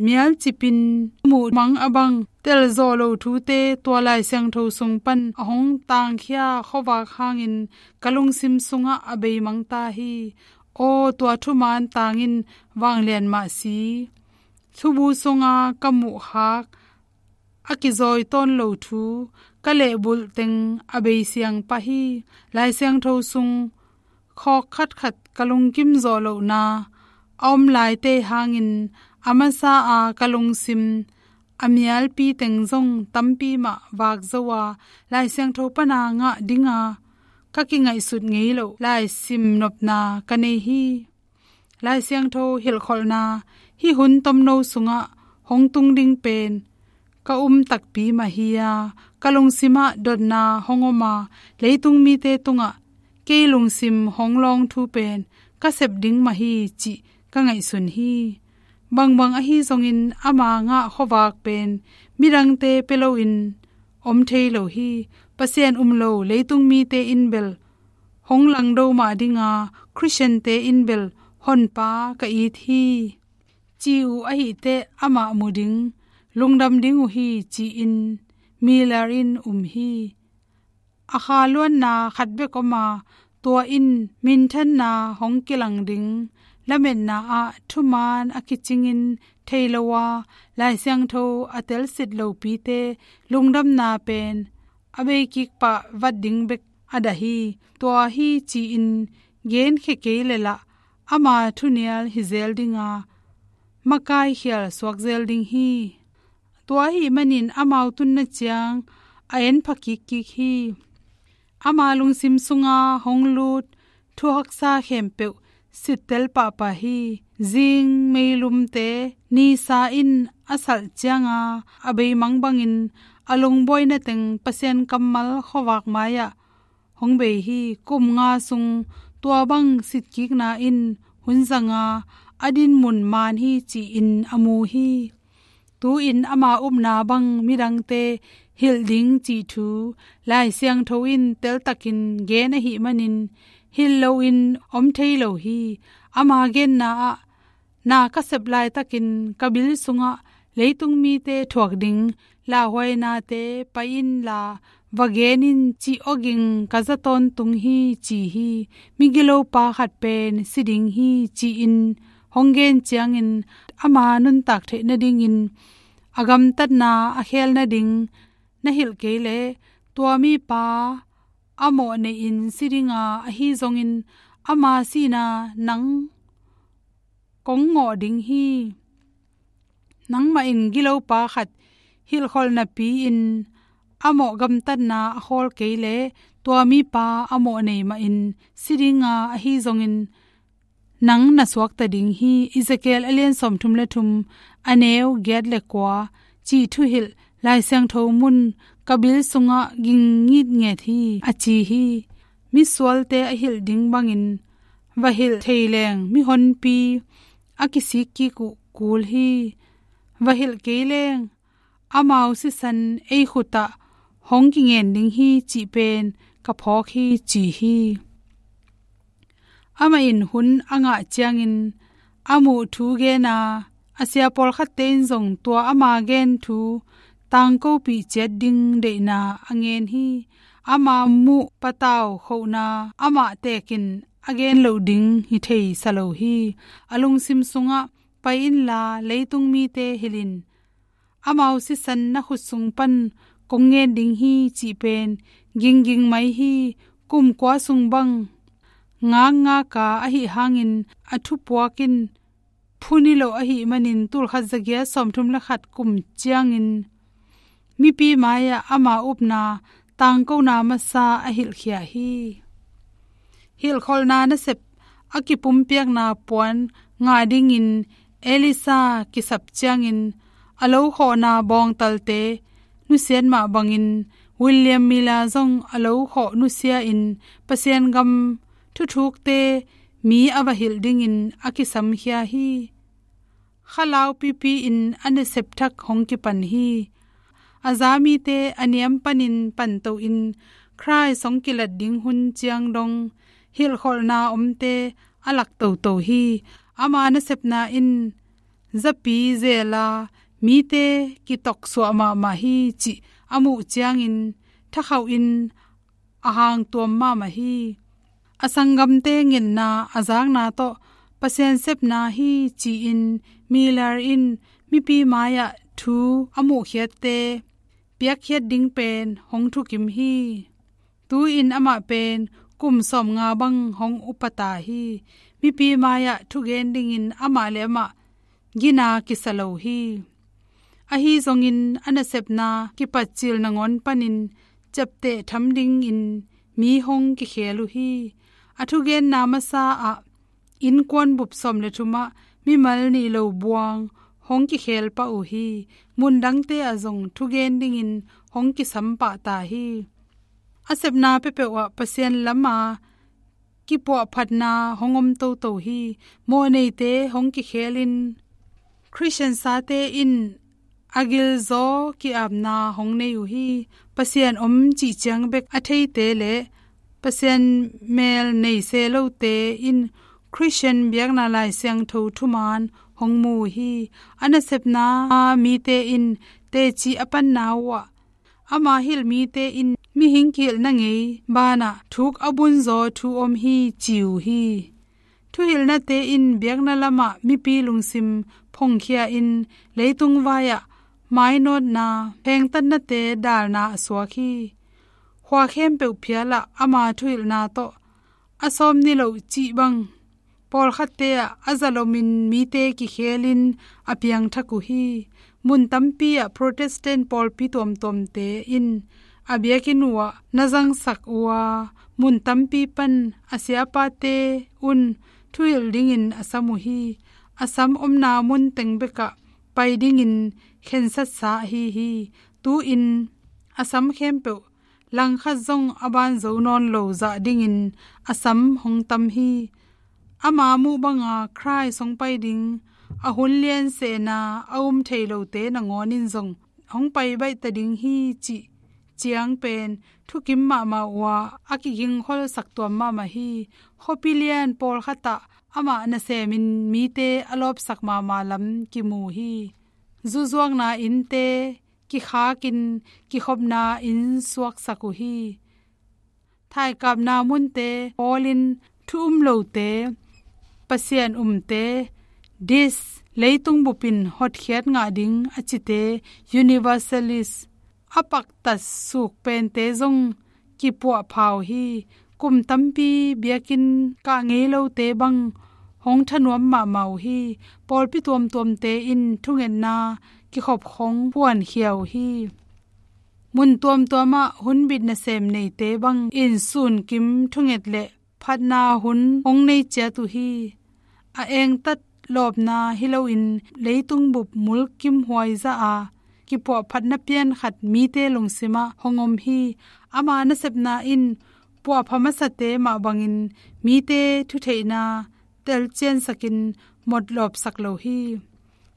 Mialcipin muh mang a bang telzawh lo thute tua Lai Siangtho sung pan a hong tangkhia khuavak hangin ka lungsim sungah a beimang ta hi. Aw, tua thuman tangin vanglian mah si. Thubu sunga ka muhkhak a kizawi tawn lo thu ka lehbulh teng a beisiang pah hi. Lai Siangtho sung khawk khatkhat ka lungkim zawh lohna a om laite hangin a masa a ka lungsim a mialpi teng zong tampi mah vak zo a Lai Siangtho pana ngah dinga ka kingaihsut ngei loh laisim nopna ka nei hi. Lai Siangtho hilhkholhna hih hun tomno sungah hong tung ding pen ka um takpi mah hi a, ka lungsimah dotna hong om a, leitung mite tungah kei lungsim hong lawng thu pen ka sep ding mah hi cih ka ngaihsun hi. Bangbang ahi zongin ama ngah khuavak pen midangte pia loin om thei lo hi. Pasian um lo leitung mite in bel hong langdo mah dinga Khristiante in bel honpa ka it hi ci uh ahihteh amah mu ding, lungdam ding uh hi ci-in Miller in um hi. A kha luanna khat bek om a, tua in minthanna hong kilang ding lametna ah thuman a kicingin thei lo a, Lai Siangtho a telsit lopite lungdamna pen a beikik pah vat ding bek a dah hi. Tua hi ci-in genkhia kei le lah ama thunial hi zel dinga makai khial suak zel ding hi. Tua ahih manin amau tunna ciang a en pha kikkik hi. Ama lungsim sunga hong lut thuhaksa khempeuh sittel pahpah hi. Zing meilumte nisa in a salh cianga a beimang bangin a lungbuaina teng Pasian kammal khuavak mai-ah hong bei hi. Kum nga sung tua bang sitkikna in hun zanga a dinmun man hi ci-in a mu hi. Tu-in ama upna bang midangte hilh ding cih thu Lai Siangtho in teltakin gen ahih manin hilh loin om thei lo hi. Ama genna ah na ka sep laitakin ka bil sungah leitung mite thuak ding lauhuainate pai inla va gen in cih awging ka za tawntung hi ci hi. Migilopa khat pen si ding hi ci-in hong gen ciangin ama nuntak theih nadingin a gamtatna a khel nading na hilh kei leh tua mipa a mawh neihin si dinga ahi zongin ama sihna nang kong ngawh ding hi. Nangmah in gilopa khat hilhkholh napi-in a mawh gamtatna a khawl kei leh tua mipa a mawh nei mahin si dinga ahi zongin nang na suakta ding hi. Ezekiel a lian sawmthum le thum, a neu giat le kua cih thuhilh Lai Siangtho mun ka bil sungah ging ngitnget hi a ci hi. Misualte a hilh ding bangin va hilh thei leng mihonpi a kisik kik uh kul hi. Va hilh kei leng amau sisan ei khutah hong kingen ding hi cih pen ka phawk hi ci hi. Amah in hun a ngah ciangin a muh thu gen a, a sia pawlkhatte in zong tua ama gen thu tangkopih ciat ding deihna a ngen hi. Ama muh patau khohna amah tekin a gen loh ding hi thei sa lo hi. A lungsim sungah pai inla leitung mite hilh in amau sisan na khut sung pan kong ngen ding hi cih pen gingging mai hi. Kum kua sung bang ngakngak a, ahih hangin a thupuak in phun hi lo ahih manin tul khat za giat sawmthum le khat kum ciangin mipi mai-ah ama upna tangkona masa a hilhkhia hi. Hilhkholhna nasep a kipumpiakna puan ngah dingin Elisa kisap ciangin a lo khawhna bawngtalte nusiat mah bangin William Miller zong a lo khawh nusia-in Pasian gam thuthukte mi a va hilh dingin a kisamkhia hi. Khalau pipi-in a nasep thak hong kipan hi. A za mite a niam panin panto-in Khrist hong kilat ding hun ciang dong hilhkholhna omte a lak toto hi. Ama nasepna in zapi zel a, mite kitoksuah mahmah hi cih a muh ciangin thakhauhin a hangtuam mahmah hi. A sanggamte ngetna a zakna tawh Pasian sepna hi ci-in Miller in mipi mai-ah thu a muhkhiatte piakkhiat ding pen hong thukim hi. Tu-in amah pen kum sawmnga bang hong upa ta hi. Mipi mai-ah thugen dingin amah le amah gina kisa lo hi. Ahi zongin a nasepna kipatcil nangawn panin ciapteh tham dingin mi hong kikhel uh hi. A thugenna masa-ah innkuan bup sawm le thumah mimal nih lo buang hong kikhel pah uh hi. Mun dangte ah zong thugen dingin hong kisam pah ta hi. A sepna peuhpeuh ah Pasian lama kipuahphatna hong om toto hi. Mawhneite hong kikhelin Khristian sate in a gilzaw ki-apna hong nei uh hi. Pasian om cih ciang bek a theite le Pasian mel nei se lote in Khristian biakna Lai Siangtho thuman hong mu uh hi. A nasepna mite in teci a panna uhah ama hilh mite in mihing kihilhna ngei banah thuk a bunzaw thu om hi ci uh hi. Thuhilhnate in biakna lamah mipi lungsim phongkhia-in leitung vai-ah mainawtna, phengtatnate dalna a suak hi. Khua khempeuh phialah ama thuhilhna tawh a sawm niloh cih bang pawlkhatte ah a zalomin mite kikhelin a piangthak uh hi. Mun tampi ah Protestant pawlpi tuamtuamte in a biakinn uhah na zangsak uh a, mun tampi pan a siapate un thuhilh dingin a sam uh hi. A sam omna mun teng bekah pai dingin khensatsa ahi hi. Tu-in a sam khempeuh langkhat zong a banzo nawn lo zah dingin a sam hong tam hi. Ama muh banga Khrist hong pai ding a hun lian sehna a um thei lote nangawn in zong hong pai baih ta ding hi cih ciang pen thukim mahmah uh a, a kigingkholsak tuam mahmah hi. Khuapi lian pawlkhat ah amah nasemin mite a lawpsak mahmah lam kimu hi. Zuzuakna innte kikhakin kikhopna inn suaksak uh hi. Thaikapna munte pawlin thu um lote, Pasian umte, dis, leitung bupin hotkhiat ngah ding a cite, universalist, a paktat suk pente zong kipuahpha uh hi. Kum tampi biakinn kah ngei lote bang hong thanuam mahmah uh hi. Pawlpi tuamtuamte in thungetna kikhop khong phuankhia uh hi. Mun tuamtuamah hunbit nasem neite bangin sunkim thunget le phatna hun hong nei ciat uh hi. A engtat lawpna hi loin leitung bup mulkimhuai zah a kipuahphatna pian khat mite lungsimah hong om hi. Ama nasepna in puahpha masate mah bangin mite thutheihna telciansakin motlawpsak lo hi.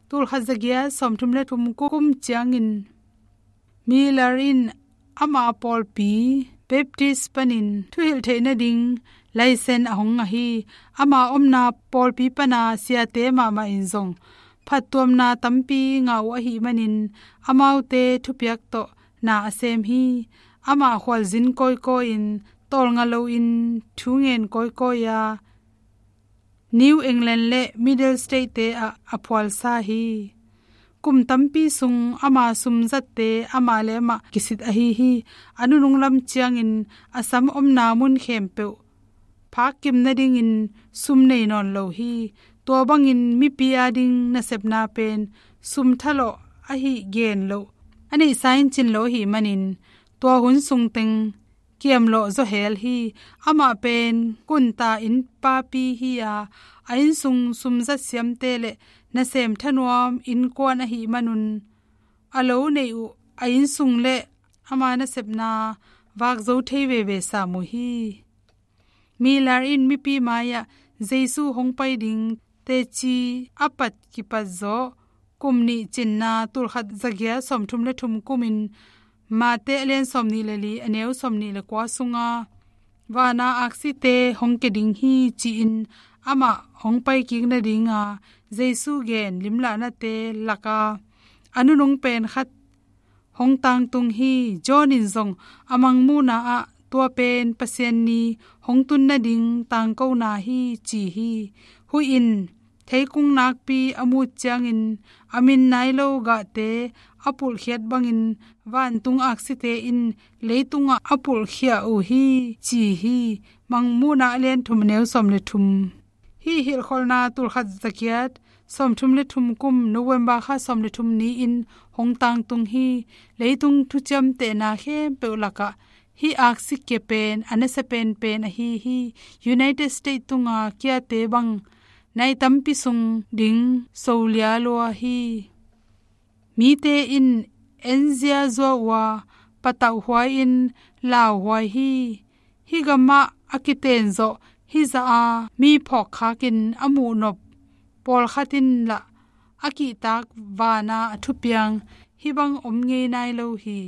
Tulkhat zagiat sawmthum le thum kum ciangin Miller in ama pawlpi Baptist panin thuhilh theih nading laisen a hong ngah hi. Ama omna pawlpi pana siate mahmah in zong phattuamna tampi ngah uh ahih manin amaute thupiak tawh na a sem hi. Ama khualzin kawikawi-in tawlnga loin thu ngen kawikawi a, New England le Middle State-te ah a phualsa hi. Kum tampi sung ama sumzatte amah le amah kisit ahi hi. A nunung lam ciangin a sam omna mun khempeuh phakkim nadingin sum nei nawn lo hi. Tua bangin mipi ading nasepna pen sum thalawh ahi gen loh, a neihsa in cin lo ahih manin tua hun sung teng kiamlawh zaw hel hi. Amah pen kunta innpapi hi a, a innsung sumzat siamte le nasem thanuam innkuan ahih manun a lo neih uh a innsung le ama nasepna vak zo thei veve sam uh hi. Miller in mipi mai-ah Jesu hong pai ding teci a pat kipat zawh kum nih cinna tulkhat zagiat sawmthum le thum kumin Mate a lian sawmnih le li a neu sawmnih le kua sunga vana aksite hong kia ding hi ci-in amah hong pai kik nadinga Jesu gen limlahnate laka a nunung pen khat hong tangtung hi. John in zong a mangmuhna ah tua pen Pasian ni hong tun nading tangkona hi ci hi. Huih in theikung nakpi a mut ciangin a min nai lo gahte a pulhkhiat bangin vantung aksite in leitungah a pulhkhia uh hi ci hi. Mangmuhna a lian thum a neu sawm le thum. Hih hilhkholhna tulkhat zagiat sawmthum le thum kum November kha sawm le thum ni-in hong tangtung hi. Leitung thuciamtehna khempeuh lakah hih aksi kia pen a nasa penpen ahi hi. United States tunga kiate bang nai tampi sung ding solia lua hi. Mite in enzia zua uh a patauh huai-in lauhuai hi. Hih gamah a kiten zawh hih zah a mi phawkkhakin a muhnop pawlkhat in lah a kihtak vana a thupiang hih bang om ngei nai lo hi.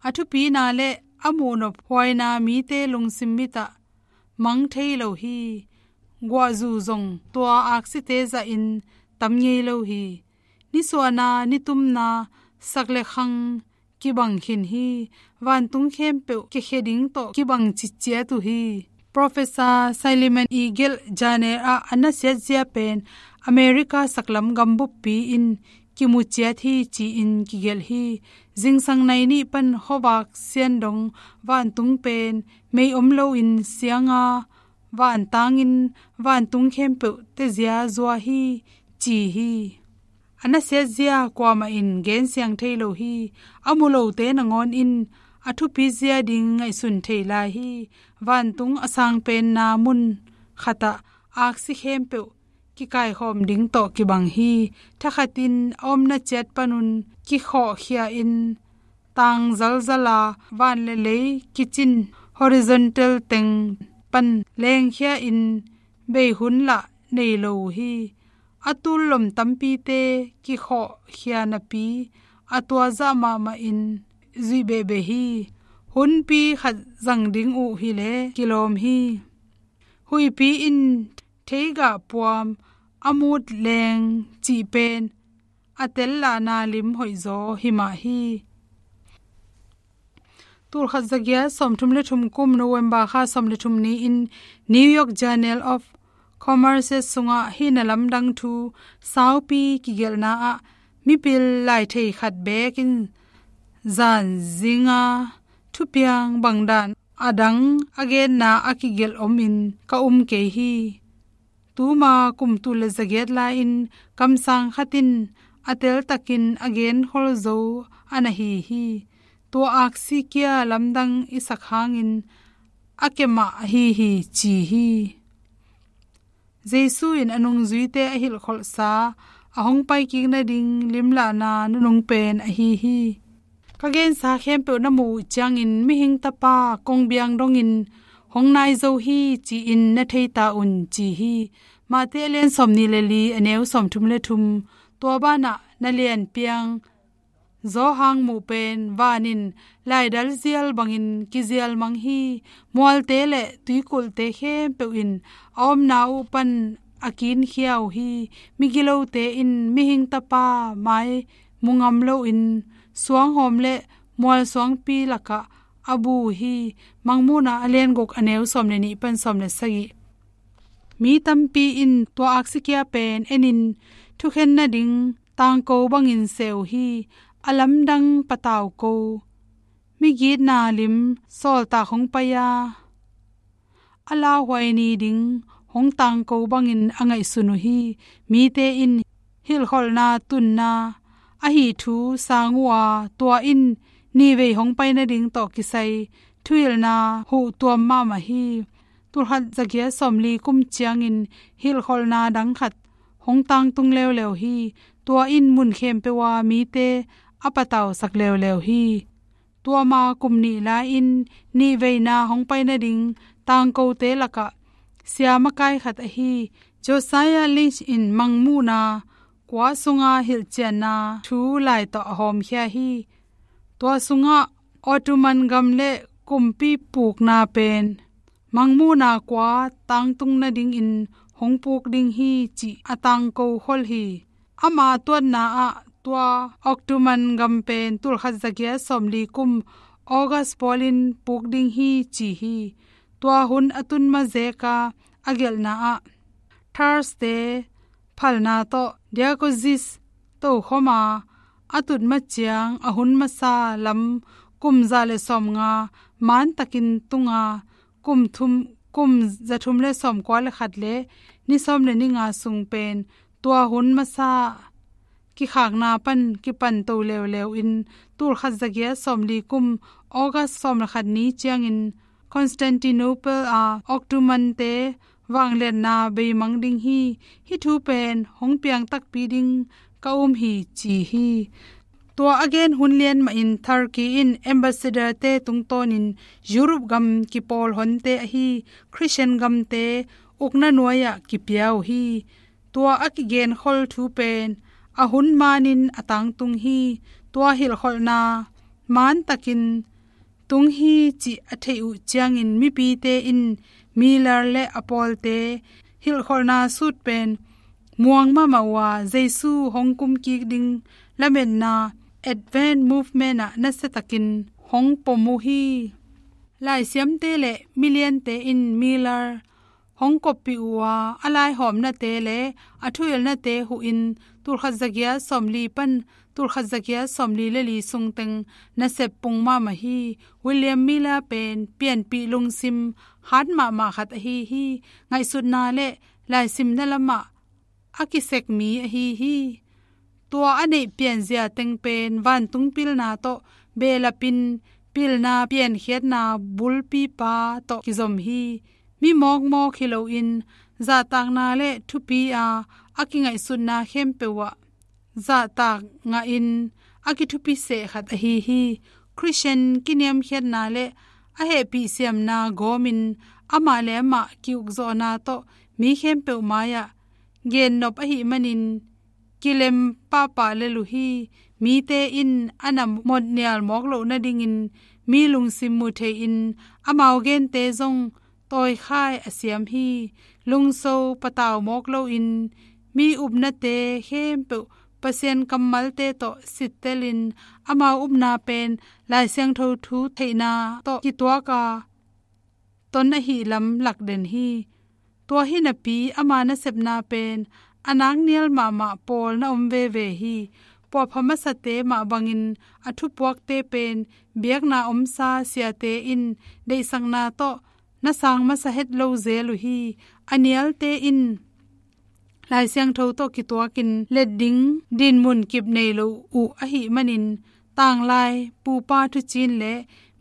A thupina le a muhnop huaina mite lungsim mitah mang thei lo hi. Guahzu zong tua aksite zahin tam ngei lo hi. Nisuahna, nitumna, sak le khang kibang khin hi. Vantung khempeuh kiakhia ding tawh kibang ciciat uh hi. Professor Saileman i gelh Janel ah a nasiatzia pen America saklam gambuppi in kimuciat hi ci-in kigelh hi. Zingsang nai nih pan khuavak siandong vantung pen mei om loin sianga vantangin vantung khempeuh tezia zua hi ci hi. A nasiatzia kuamah in gensiang thei lo hi. A mu lote nangawn in a thupizia ding ngaihsun thei lai hi. Vantung a sangpenna mun khatah aksi khempeuh kikaikhawm ding tawh kibang hi. Thakhatin a omna ciat panun kikhawhkhia in tang zalzala van le lei kicin horizontal teng pan lengkhia in bei hun lah nei lo uh hi. A tullom tampite kikhawhkhia napi a tuazah mahmah in zuih behbeh hi. Hunpi khat zang ding uh hileh kilawm hi. Huihpi in theigah puam a mut leng cih pen a tel lahna lim hoihzaw hi mah hi. Tulkhat zagiat sawmthum le thum kum November kha sawm le thum ni-in New York Journal of Commerce sungah hih na lamdang thu saupi kigelhna ah mipil laithei khat bekin zan zinga thupiang bangdan a dang a genna a kigelh omin ka um kei hi. Tuma kum tul le zagiat lai-in kamsang khat in a teltakin a genkhol zo a na hi hi. Tua aksi kia lamdang i sak hangin a kemah ahi hi ci hi. Jesu in a nungzuite a hilhkholhsa a hong paikik nading limlahna nunung pen ahi hi. Ka gensa khempeuh na muh uh ciangin mihing tapa kongbiang dongin hong nai zo hi ci-in na thei ta un ci hi. Mate a lian sawmnih le li a neu sawmthum le thum. Tua banah na lianpiang zawhang muh pen van in laidal zial bangin kizial mang hi. Mualte le tuikulhte khempeuh in a omna uh pan a kinkhia uh hi. Migilote in mihing tapa mai mu ngam loin suanghawm le mualsuangpi lakah a bu uh hi. Mangmuhna a lian guk a neu sawm le nih pan sawm le sagih. Mi tampi in tua aksi kia pen enin thukhen nading tangko bangin se uh hi. A lamdang patau ko, migitna lim sawltak hong pai-a, a lauhuai ni ding hong tangko bangin a ngaihsun uh hi. Mite in hilhkholhna tunna ahi thu sang uh a, tua in nihvei hong pai nading tawh kisai thuhilhna huh tuam mahmah hi. Tulkhat zagiat sawmli kum ciangin hilhkholhna dang khat hong tangtung leuleu hi. Tua in mun khempeuh a mite a patausak leuleu hi. Tua ma kum nih lai-in nihveina hong pai nading tangkote lakah sia makai khat ahi Josiah Lynch in Mangmuhna kua sunga hilhcianna thu lai tawh a hawmkhia hi. Tua sungah Ottoman gam le kumpi pukna pen Mangmuhna kua tangtung nadingin hong puk ding hi cih a tangko khol hi. Ama tuatna ah tua Ottoman gam pen tulkhat zagiat sawmli kum August pawlin puk ding hi ci hi. Tua hun a tun mazeka a gelhna ah Thar-te phalna tawh Diagozis tokhoma a tut maciang a hun masa lam kum za le sawmnga mantakin tunga kum thum, kum za thum le sawmkua le khat le ni sawm le ni nga sung pen tua hun masa kikhakna pan kipanto leuleu in tulkhat zagiat sawmli kum August sawm le khat ni ciangin Constantinople a Ottoman-te vangliatna beimang ding hi. Hih thu pen hong piang takpi ding ka um hi ci hi. Tua a gen hun lian mahin Turkey in ambassador-te tungtawnin Europe gam kipawl honte ahi Christian gamte ukna nuai-ah kipia uh hi. Tua a kigenkhol thu pen a hun manin a tangtung hi. Tua hilhkholhna mantakin tung hi cih a theih uh ciangin mipite in Miller le a pawlte hilhkholhna sut pen muang mahmah uh a, Jesu hong kumkik ding lametna Advent Movement ah nasiatakin hong pom uh hi. Laisiamte le miliante in Miller hong koppih uh a, a laihawmnate le a thuhilhnate huhin tulkhat zagiat sawmli pan tulkhat zagiat sawmli le li sungteng nasep pung mahmah hi. William Miller pen pianpih lungsim hat mahmah khat ahi hi. Ngaihsutna le laisimna lamah a kisek mi ahi hi. Tua a neih pianzia teng pen vantung pilna tawh behlapin pilna piankhiatna bulpipa tawh kizom hi. Mi mawkmawk hi loin zahtakna le thupi a a kingaihsutna khempeuh ah zahtak ngahin a kithupi seh khat ahi hi. Christian kiniamkhiatna le a hehpih siamna gawmin amah le amah ki-ukzawhna tawh mi khempeuh mai-ah gennop ahih manin kilem pahpah lel uh hi. Mite in a na motnial mawk loh nadingin mi lungsim mu thei-in amau gente zong tawikhai a siam hi. Lungso patau mawk loin mi upnate khempeuh Pasian kammalte tawh sittelin amau upna pen Lai Siangtho thu theihna tawh kituak a ton ahih lam lakden hi. Tua hi napi ama nasepna pen a naknial mahmah pawl na om veve hi. Puahpha masate mah bangin a thupuakte pen biakna omsa siate in deihsakna tawh na sang masa het lo zel uh hi. A nialte in Lai Siangtho tawh kituakin let ding dinmun kip nei lo uh ahih manin tanglai pupa thucin le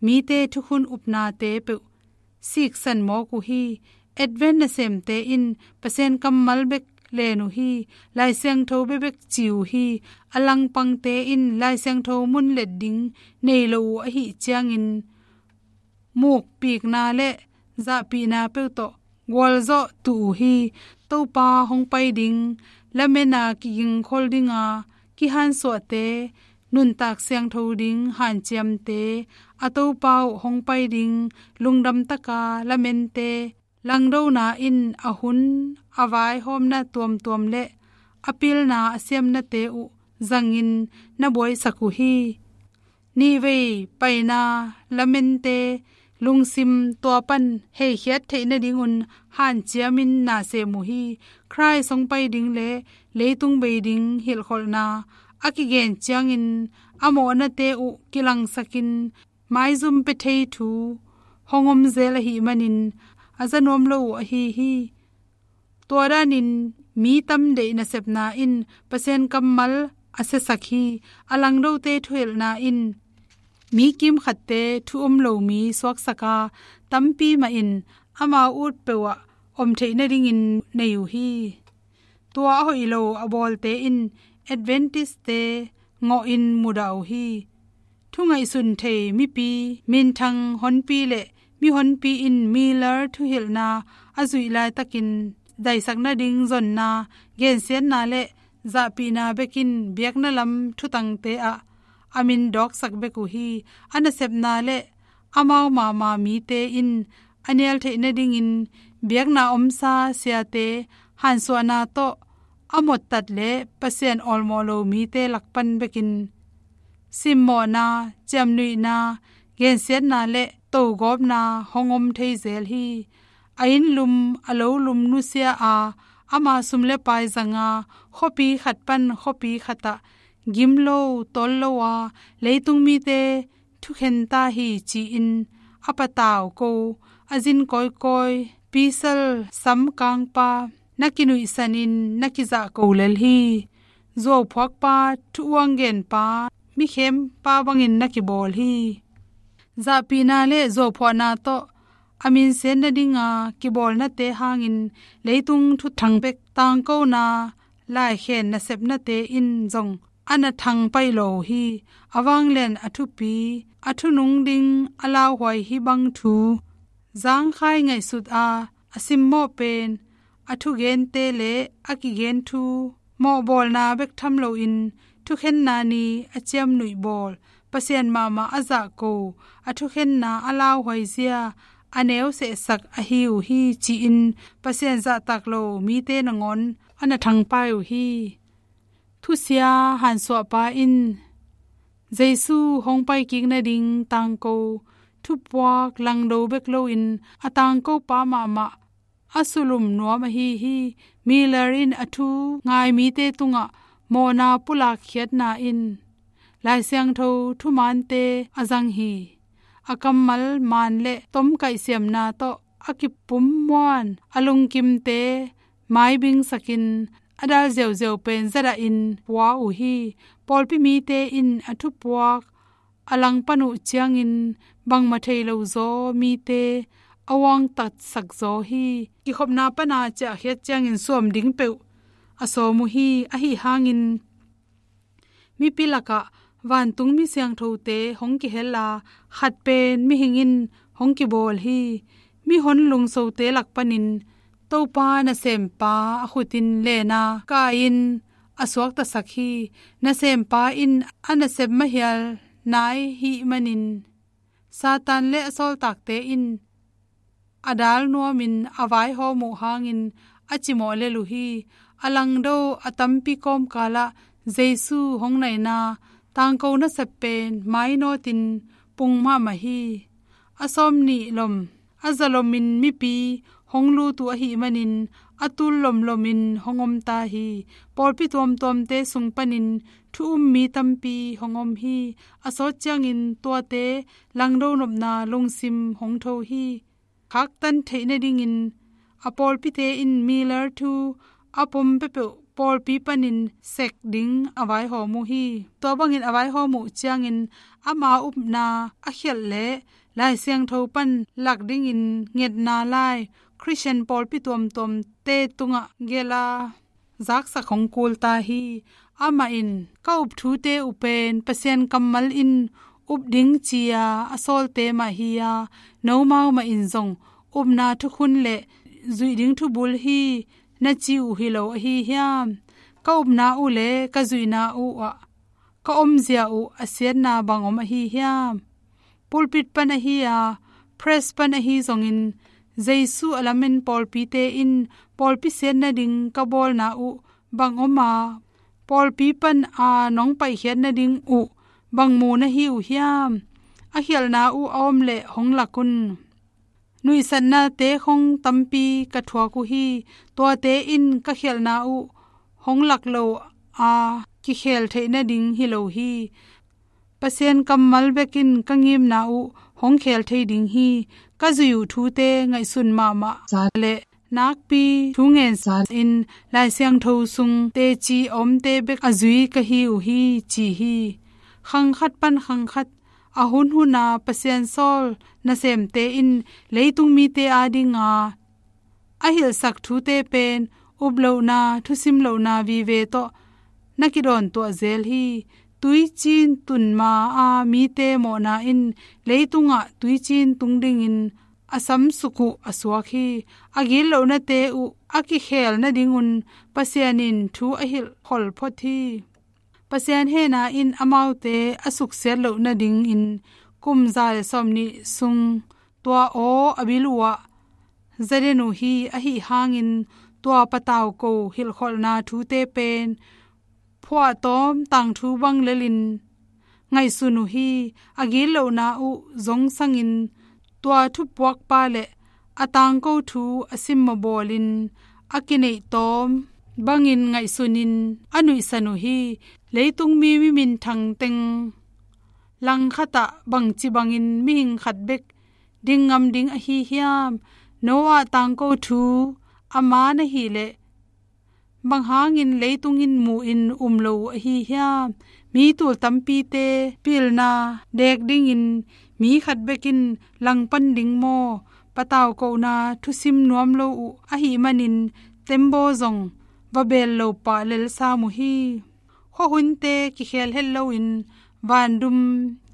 mite thukhun upnate peuh siksan mawk uh hi. Advent nasemte in Pasian kammal bek len uh hi. Lai Siangtho bekbek ci uh hi. A langpangte in Lai Siangtho mun let ding nei lo uh ahih ciangin mukpikna le zahpihna peuh tawh gualzawh tuh uh hi. Topa hong pai ding lametna kigingkhol dinga kihansuahte, nuntak siangtho ding hanciamte, a Topa uh hong pai ding lungdamtaka lamente, langdona in a hun a vaihawmna tuamtuam le a pilna a siamnate uh zangin na buaisak uh hi. Nihvei paina lamente, lungsim tua pan heikhiat theih nadingun hanciamin na sem uh hi. Khrih hong pai ding le leitung bei ding hilhkholhna a kigen ciangin a mawhnate uh kilangsakin maizum pia thei thu hong om zel ahih manin a za nuam lo uh ahi hi. Tua danin mi tam deih nasepna in Pasian kammal a siasak hi. A langdote thuhilhna in mi kimkhatte thu om lo mi suaksak a, tampi mah in amau ut peuhah om theih nadingin nei uh hi. Tua a hoih lo a bawlte in Adventist-te ngawhin mudah uh hi. Thu ngaihsun thei mipi, minthang honpi le mihonpi in Miller thuhilhna a zuih laitakin daisak nading zonna, gensiatna le zahpihna bekin biakna lam thutangte ah a min dawksak bek uh hi. A nasepna le amau mahmah mite in a nial theih nadingin biakna omsa siate hansuahna tawh a mottat le Pasian awlmawh lo mite lakpan bekin simmawhna, ciamnuihna, gensiatna le togawpna hong om thei zel hi. A innlum, a lolum nusia a, ama sum le pai zanga, khuapi khat pan khuapi khatah gim lo, tol lo a, leitung mite thukhen ta hi ci-in a patau ko, a zin kawikawi, pisal, samkangpa, na kinuihsanin na kizah ko lel hi. Zuauphuakpa, thu-uang genpa, mikhempa bangin na kibawl hi. Zahpihna le zuauphuahna tawh a minsiat nadinga kibawlnate hangin leitung thuthang bek tangkona, laikhen nasepnate in zong a na thangpaih lo uh hi. A vanglian, a thupi, a thunung ding a lauhuai hih bang thu zangkhai ngaihsut a, a simmawh pen a thugente le a kigen thu mawhbawlna bek tham loin thukhenna ni a ciamnuih bawl, Pasian mahmah a zah ko, a thukhenna a lauhuai zia a neu sehsak ahi uh hi ci-in Pasian zahtak lo mite nangawn a na thangpai uh hi. Thusia hansuahpa in Jesu hong paikik nading tangko thupuak langdo bek loin a tangkopa mahmah a sulum nuam ahi hi. Miller in a thu ngai mite tungah mawhna pulakkhiatna in Lai Siangtho thumante a zang hi. A kammal man le tomkaih siamna tawh a kipum muan, a lungkimte maibingsakin a dal ziauziau pen zadahin pua uh hi. Pawlpi mite in a thupuak a langpan uh ciangin bangmah thei lo zaw mite a uangtatsak zaw hi. Kikhopna pana ciahkhiat ciangin suam ding peuh a sawm uh hi. Ahi hangin mipi lakah vantung mi siangthote hong kihel a, khat pen mihing in hong kibawl hi. Mihon lungsote lak panin Topa nasempa a khutin lena kai-in a suaktasak hi. Nasempa in a nasep mahial nai hih manin Satan le a sawltakte in a dal nuamin a vaihawm uh hangin a cimawh lel uh hi. A langdo a tampi kawmkalah Jesu hong naina tangko nasep pen mainawtin pung mahmah hi. A sawmnih lom, a zalomin mipi hong lut uh ahih manin a tul lomlomin hong om ta hi. Pawlpi tuamtuamte sung panin thu um mi tampi hong om hi. A sawt ciangin tuate langdo nopna lungsim hong tho hi. Khaktan theih nadingin a pawlpite in Miller thu a pom peuhpeuh pawlpi panin sek ding a vaihawm uh hi. Tua bangin a vaihawm uh ciangin ama upna a khialh le Lai Siangtho pan lak dingin ngetna lai Khristian pawlpi tuamtuamte tungah gelh a zaksak hong kul ta hi. Amah in, "Ka up thute uh pen Pasian kammal in up ding ci-a a sawlte mah hi-a, nomau mah in zong upna thukhun le zuih ding thubul hi na ci uh hi lo ahi hiam? Ka upna uh le ka zuihna uh ah ka omzia uh a siatna bang om ahi hiam?" Pulpit pan ahi a, press pan ahi zongin, Jesu a lamen pawlpite in pawlpi siat nading ka bawlna uh bang om a, pawlpi pan a nong paikhiat nading uh bang mu na hi uh hiam? a khialhna uh a om leh hong lak un. Nuihsatnate khong tampi ka thuak uh hi. Tuate in ka khialhna uh hong lak lo a kikhel theih nading hi lo hi. Pasian kammal bekin ka ngimna uh hong khel thei ding hi. Ka zui uh thute ngaihsun mahmah sa leh nakpi thu ngen sa in Lai Siangtho sung teci a omte bek a zui ka hi uh hi, ci hi. Khang khat pan khang khat a hunhun a Pasian sawl nasemte in leitung mite adinga a hilhsak thute pen uplohna, thusim lohna vive tawh na kidawntuah zel hi. Tuicin tun ma a mite mawhna in leitungah tuicin tung dingin a samsuk uh a suak hi. A gitlohnate uh a kikhel nadingun Pasian in thu a hilhkholh phot hi. Pasian hehna in amaute a suksiat loh nadingin kum za le sawmnih sung tua aw a bil uh ah za den uh hi. Ahi hangin tua patau ko hilhkholhna thute pen phuahtawm tangthu bang lelin ngaihsun uh hi. A gitlohna uh zong sangin tua thupuakpa le a tangko thu a simmawh bawlin a kineih tawm bangin ngaihsunin a nuihsan uh hi. Leitung mi, mi minthang teng langkhatah bangci bangin mihing khat bek ding ngam ding ahi hiam? Noah tangko thu a man ahih leh bang hangin leitung in muhin um lo uh ahi hiam? Mi tul tampite pilna dek dingin mi khat bekin langpan ding maw? Patau kohna thusim nuam lo uh ahih manin tembaw zong va bel lo pah lel sam uh hi. Khuahunte kikhel het loin vandum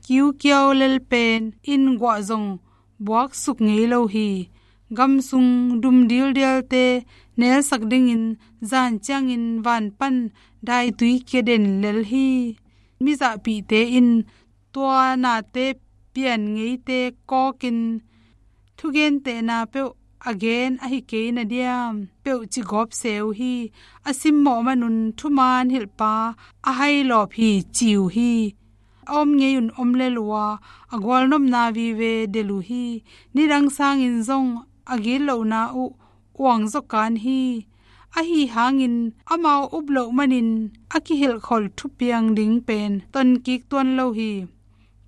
kiukiau lel pen in guah zong buaksuk ngei lo hi. Gamsung dum dildialte nelsak dingin zan ciangin van pan daitui kia den lel hi. Mizahpihte in tua nate pian ngeite kawkin thugentehna peuh a gen ahi kei na diam peuh ci gawp se uh hi. A simmawh manun thuman hilhpa a hai lawp hi, ci uh hi. A om ngei un om lel uh a, a gualnopna vive del uh hi. Nidang sangin zong a gitlohna uh uang zaw kan hi. Ahi hangin amau up loh manin a kihilhkholh thupiang ding pen tonkik tuan lo hi.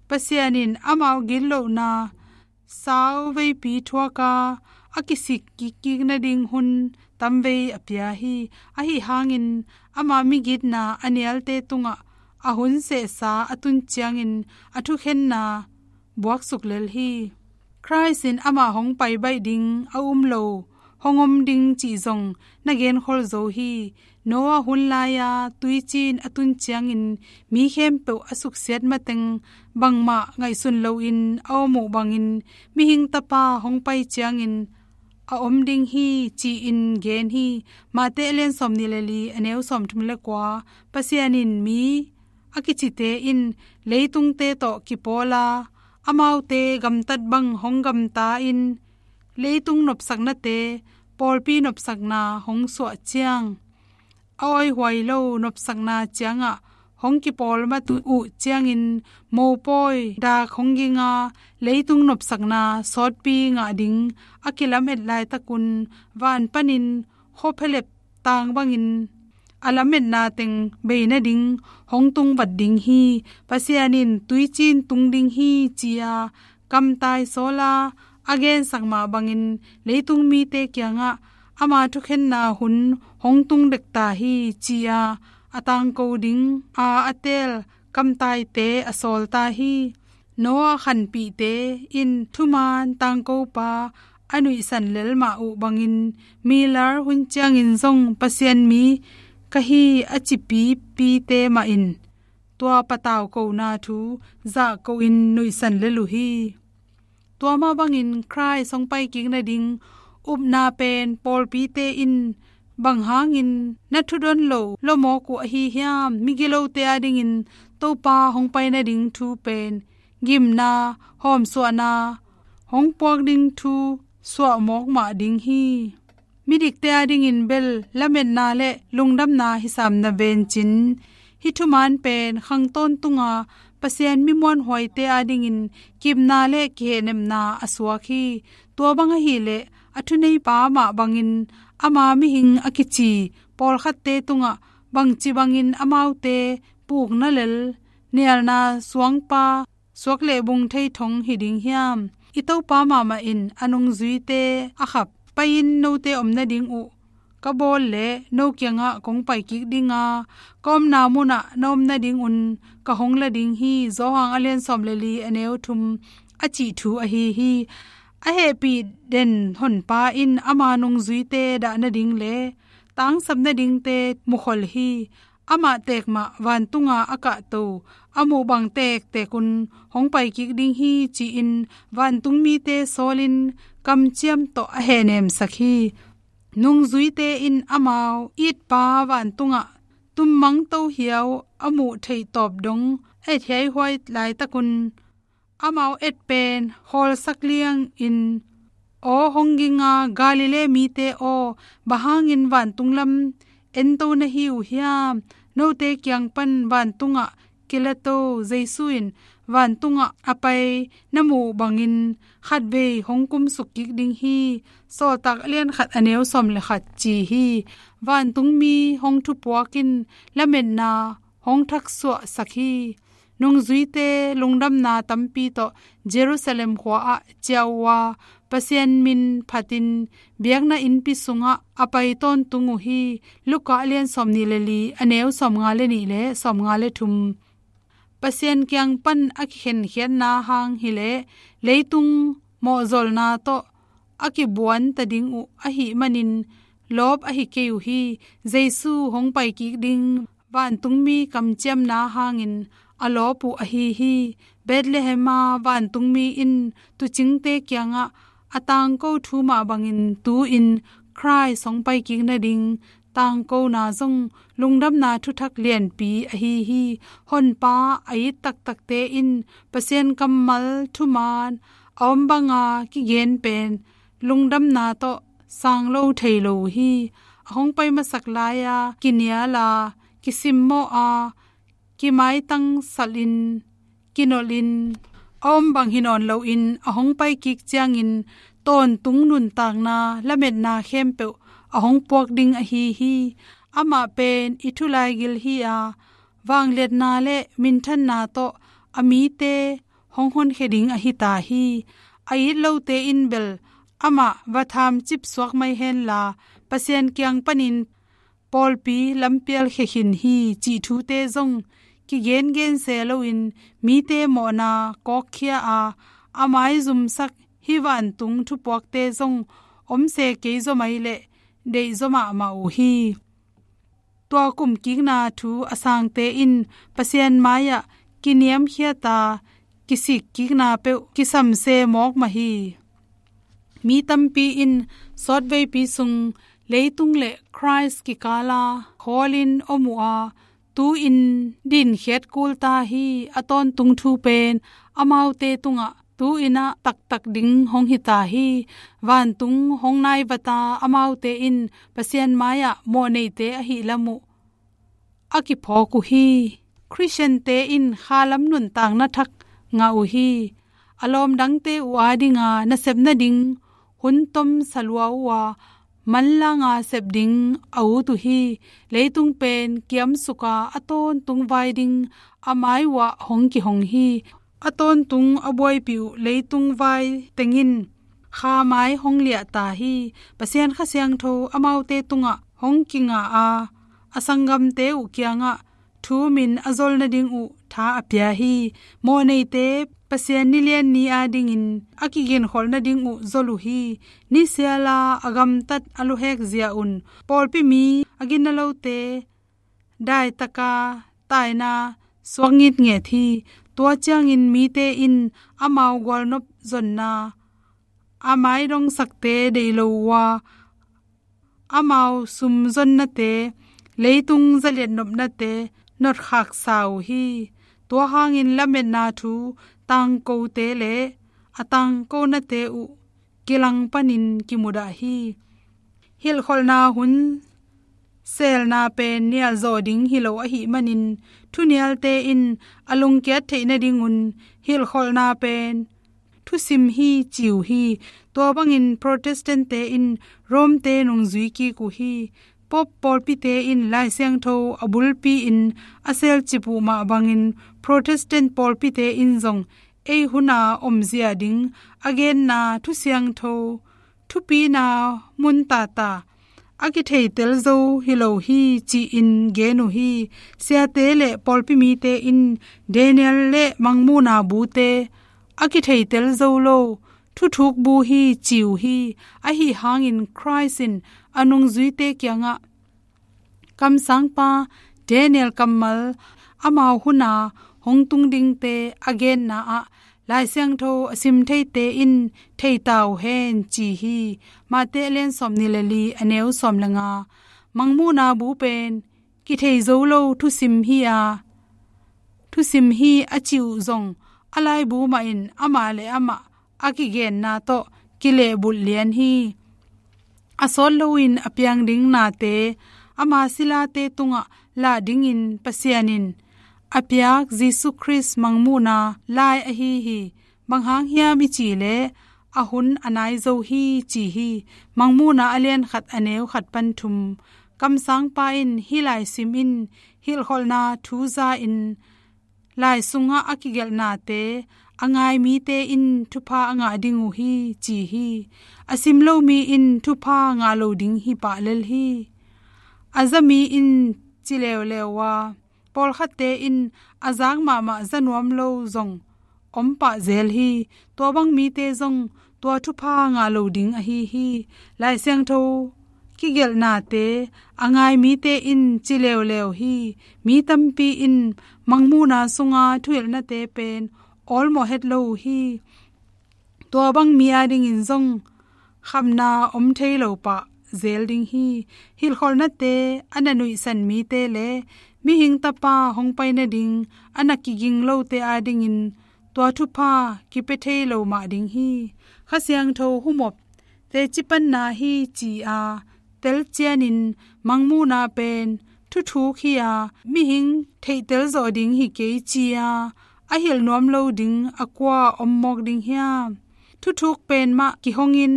Pasian in amau gitlohna sau veipi thuak a, a kisik kikkik nading hun tamvei a pia hi. Ahi hangin ama migitna a nialte tungah a hun sehsa a tun ciangin a thukhenna buaksuk lel hi. Khrist in amah hong pai baih ding a um lo, hong om ding cih zong na genkhol zo hi. Noah hun lai-a tuicin a tun ciangin mi khempeuh a suksiat mateng bangmah ngaihsun loin a om uh bangin mihing tapa hong pai ciangin a om ding hi, ci-in gen hi. Mate a lian sawmnih le li, a neu sawmthum le kua. Pasian in mi a kicite in leitungte tawh kipawl a, amaute gamtat bang hong gamta in leitung nopsaknate pawlpi nopsakna hong suah ciang a awihuai lo nopsakna ciangah hong kipawl mat uh ciangin mopawi dak hong ging a, leitung nopsakna sawtpi ngah ding a kilamet laitakun van panin khuaphelep tang bangin a lametna teng bei nading hong tungvat ding hi. Pasian in tuicin tung ding hi, ci-a kamtai sawl a, a gensak mah bangin leitung mite kiangah ama thukhenna hun hong tung dek ta hi, ci-a a tangko ding a a teel kamtaite a sawl ta hi. Noah khanpihte in thuman tangkopa a nuihsan lel mah uh bangin milar hun ciangin zong Pasian mi ka hi a ci pipite mah in tua patau kona thu zahko in nuihsan lel uh hi. Tua mah bangin Khrist hong paikik nading upna pen pawlpite in bang hangin na thudon lo lawmawk uh ahi hiam? Migilote adingin Topa hong pai nading thu pen gimna, hawmsuahna hong puak ding thu suahmawk mah ding hi. Midikte adingin bel lametna le lungdamna hisam na vencin, hih thuman pen khang tawntunga Pasian mi muanhuaite adingin kipna le kihehnemna a suak hi. Tua bang ahileh a thuneipa mah bangin ama mihing a kici pawlkhatte tungah bangci bangin amaute pukna lel, nialna suangpa, suak leh bung thei thong hi ding hiam? I Topa mahmah in a nungzuite a khap, pai-in note om nading uh ka bawl leh no kiangah kong pai kik ding a, ka omna munah na om nadingun ka hong la ding hi, Johan a lian sawm le li a neu thum a cih thu ahi hi. A hehpih den honpa in ama nungzuite dah nading le tangsap nadingte mukhol hi. Amah tekmah vantunga a kahto a muh bang tektekun hong pai kik ding hi, ci-in vantungmite sawlin kamciam tawh a hehnemsak hi. Nungzuite in amau itpa vantungah tummang tohiau a muh theih tawp dong et hiaihuai laitakun amau et pen khawlsak liangin, "Aw hong ging a Galilee mite aw, bang hangin vantung lam ento na hi uh hiam? Note kiang pan vantungah kilato Jesu in vantungah a pai na muh bangin khatvei hong kumsuk kik ding hi," Sawltak a lian khat a neu sawm le khat ci hi. Vantungmi hong thupuak in lametna hong thaksuahsak hi. Nungzuite lungdamna tampi tawh Jerusalem khua ah ciah uh a, Pasian min phatin biakna innpi sungah a pai tawntung uh hi. Luka a lian sawm nih le li a neu sawm nga le nih le sawm nga le thum. Pasian kiang pan a kikhenkhiatna hang hileh leitung mawhzolna tawh a kibuan ta ding uh ahih manin lawp ahi kei uh hi. Jesu hong pai kik ding vantungmi kamciamna hangin a lawp uh ahi hi. Bethlehem a vantungmi in tuucingte kiangah a tangko thu mah bangin tu-in Khrist hong pai kik nading tangkona zong lungdamna thuthak lianpi ahi hi. Honpa a it taktakte in Pasian kammal thuman a om banga kigen pen lungdamna tawh sang lo thei lo uh hi. A hong pai masak lai-a kinial a, kisimmawh a, kimaitang salin, kinolhin a om bang hi nawn loin a hong pai kik ciangin tawntung nuntakna lametna khempeuh a hong puak ding ahi hi. Amah pen i thulaigil hi a, vangliatna le minthanna tawh a mite hong honkhia ding ahi ta hi. A it lote in bel amah va thamcip suak mai henla, Pasian kiang panin pawlpi lampial khia khin hi, cih thute zong kigengen se loin mite mawhna kawkkhia a, a maizumsak hih vantung thupuakte zong om se kei zaw mai leh deih zaw mahmah uh hi. Tua kumkikna thu a sangte in Pasian mai-ah kiniamkhiat a, kisikkikna peuh kisam se mawk mah hi. Mi tampi in sawtveipi sung leitung le Khrist kikala khawlin om uh a, tu-in dinkhiat kul ta hi. A tawntung thu pen amaute tungah tu-in ah taktak ding hong hi ta hi. Vantung hong naivat a, amaute in Pasian mai-ah mawhneite ahih lam uh a kiphawk uh hi. Khristiante in khalam nuntakna thak ngah uh hi. A lawm dangte uh adinga nasep nading hun tom sa lua uh a, manlanga sep ding a ut uh hi. Leitung pen kiamsuk a, a tawntung vai ding a mai uh ah hong kihong hi. A tawntung a buaipih uh leitung vai teng in kha mai hong liah ta hi. Pasian Kha Siangtho amaute tungah hong kingah a, a sanggamte uh kiangah thumin a zol nading uh tha a pia hi. Mawhneite Pasian nilian ni adingin a kiginkholh nading uh zol uh hi. Nisiala a gamtat a luhek zia un pawlpi mi a ginna lote daitaka taina suak ngitnget hi. Tua ciangin mite in amau gualnop zonna a maidongsakte deih lo uh a, amau sumzonnate, leitung zaliat nopnate notkhaksa uh hi. Tua hangin lametna thu tangkote le a tangkonate uh kilang panin kimudah hi. Hilhkholhna hun selna pen nialzawh ding hi lo ahih manin, thunialte in a lungkiat theih nadingun hilhkholhna pen thusim hi ci uh hi. Tua bangin Protestant-te in Rome-te nungzui kik uh hi. Pope pawlpite in Lai Siangtho a bulpi-in a selcip uh mah bangin Protestant pawlpite in zong ei huna omzia ding a genna thusiangtho thupina mun tata a kitheitel zo hi lo hi ci-in gen uh hi. Siate le pawlpi mite in Daniel le Mangmuhna bute a kitheitel zo lo thuthuk bu hi ci uh hi. Ahi hangin Christ in a nungzuite kiangah kamsangpa Daniel kammal amau huna hong tung dingte a genna ah Lai Siangtho a sim theite in thei ta uh hen ci hi. Mate a lian sawmnih le li a neu sawm le nga. Mangmuhna bu pen kithei zo lo thusim hi a, thusim hi a ci uh zong a laibu mahin amah le amah a kigenna tawh kilehbulh lian hi. A sawt loin a piang ding nate ama silate tungah lah dingin Pasian in a piak Jesu Khrist Mangmuhna lai ahi hi. Bang hang hiam i cih leh a hun a nai zo hi ci hi. Mangmuhna a lian khat a neu khat pan thum. Kamsangpa in hih lai sim in hilhkholhna thu za-in lai sungah a kigelhnate a ngai mite in thupha a ngah ding uh hi ci hi. A sim lo mi in thupha ngah lo ding hi pah lel hi. A za mi in ci leuleu a, pawlkhatte in a zak mahmah za nuam lo zong om pah zel hi. Tua bang mite zong tua thupha ngah lo ding ahi hi. Lai Siangtho kigelhnate a ngai mite in ci leuleu hi. Mi tampi in Mangmuhna sunga thuhilhnate pen awlmawh het lo uh hi. Tua bang mi adingin zong khamna om thei lo pah zel ding hi. Hilhkholhnate a na nuihsan mite le mihing tapa hong pai nading a na kiging lote adingin tua thupha kipia thei lo mah ding hi. Kha Siangtho humop teci panna hi ci-a telcianin Mangmuhna pen thuthuk hi-a mihing theihtel zawh ding hi kei ci-a a hilh nuam lo ding a kua om mawk ding hiam? Thuthuk pen mah kihongin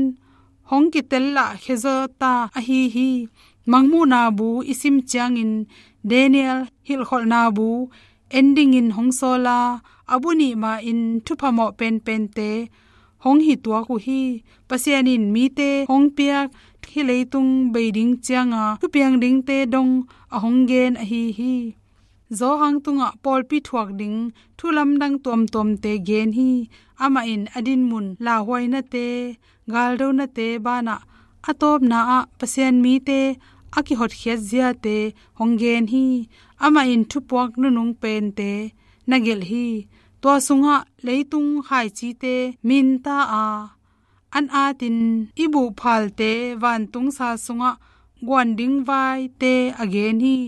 hong kitel lah khia zaw ta ahi hi. Mangmuhna bu i sim ciangin Daniel hilhkholhna bu en dingin hong sawl a, a bu nih mahin thupha mawh penpente hong hi tuak uh hi. Pasian in mite hong piak hih leitung bei ding cianga thupiang dingte dong a hong gen ahi hi. Johan tungah pawlpi thuak ding thu lamdang tuamtuamte gen hi. Amah in a dinmun lauhuainate, galdonate banah a tawpna ah Pasian mite a kihotkhiat ziate hong gen hi. Amah in thupuak nunung pente na gelh hi. Tua sungah leitung khaicite minta a, an atin i buhphalte vantung sal sungah guan ding vaite a gen hi.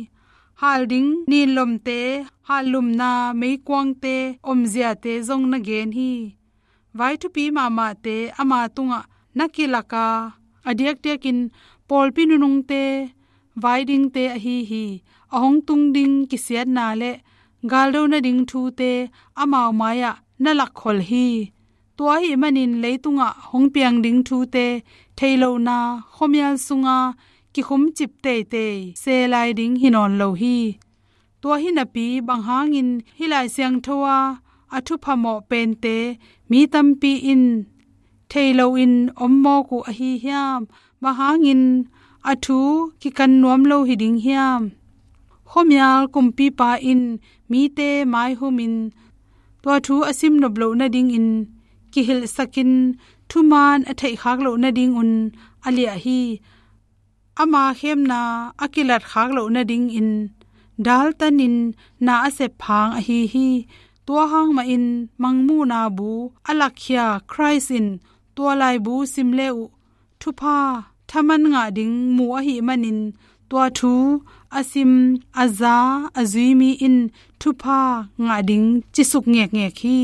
Hal ding ninlomte, hallumna meikuangte omziate zong na gen hi. Vai thupi mahmahte ama tungah na kilak a, a diakdiakin pawlpi nunungte vai dingte ahi hi. A hong tung ding kisiatna le galdo nading thute amau mai-ah na lakkhol hi. Tua ahih manin leitungah hong piang ding thute theilohna khuamial sunga kikhumcip teitei se lai ding hi nawn lo hi. Tua hi napi bang hangin hih Lai Siangtho a a thupha mawh pente mi tampi in thei loin om mawk uh ahi hiam? Bang hangin a thu kikan nuam lo hi ding hiam? Khuamial kumpipa in mite maihumin tua thu a sim nop loh nadingin kihilhsakin thuman a theihkhak loh nadingun a liah hi. Ama khemna a kilatkhak loh nadingin daltanin na a sep hang ahi hi. Tua hang mahin Mangmuhna bu a lakkhia Christ in tua laibu sim le uh thupha thaman ngah ding mu ahih manin tua thu a sim, a za, a zui mi in thupha ngah ding cisuk ngekngek hi.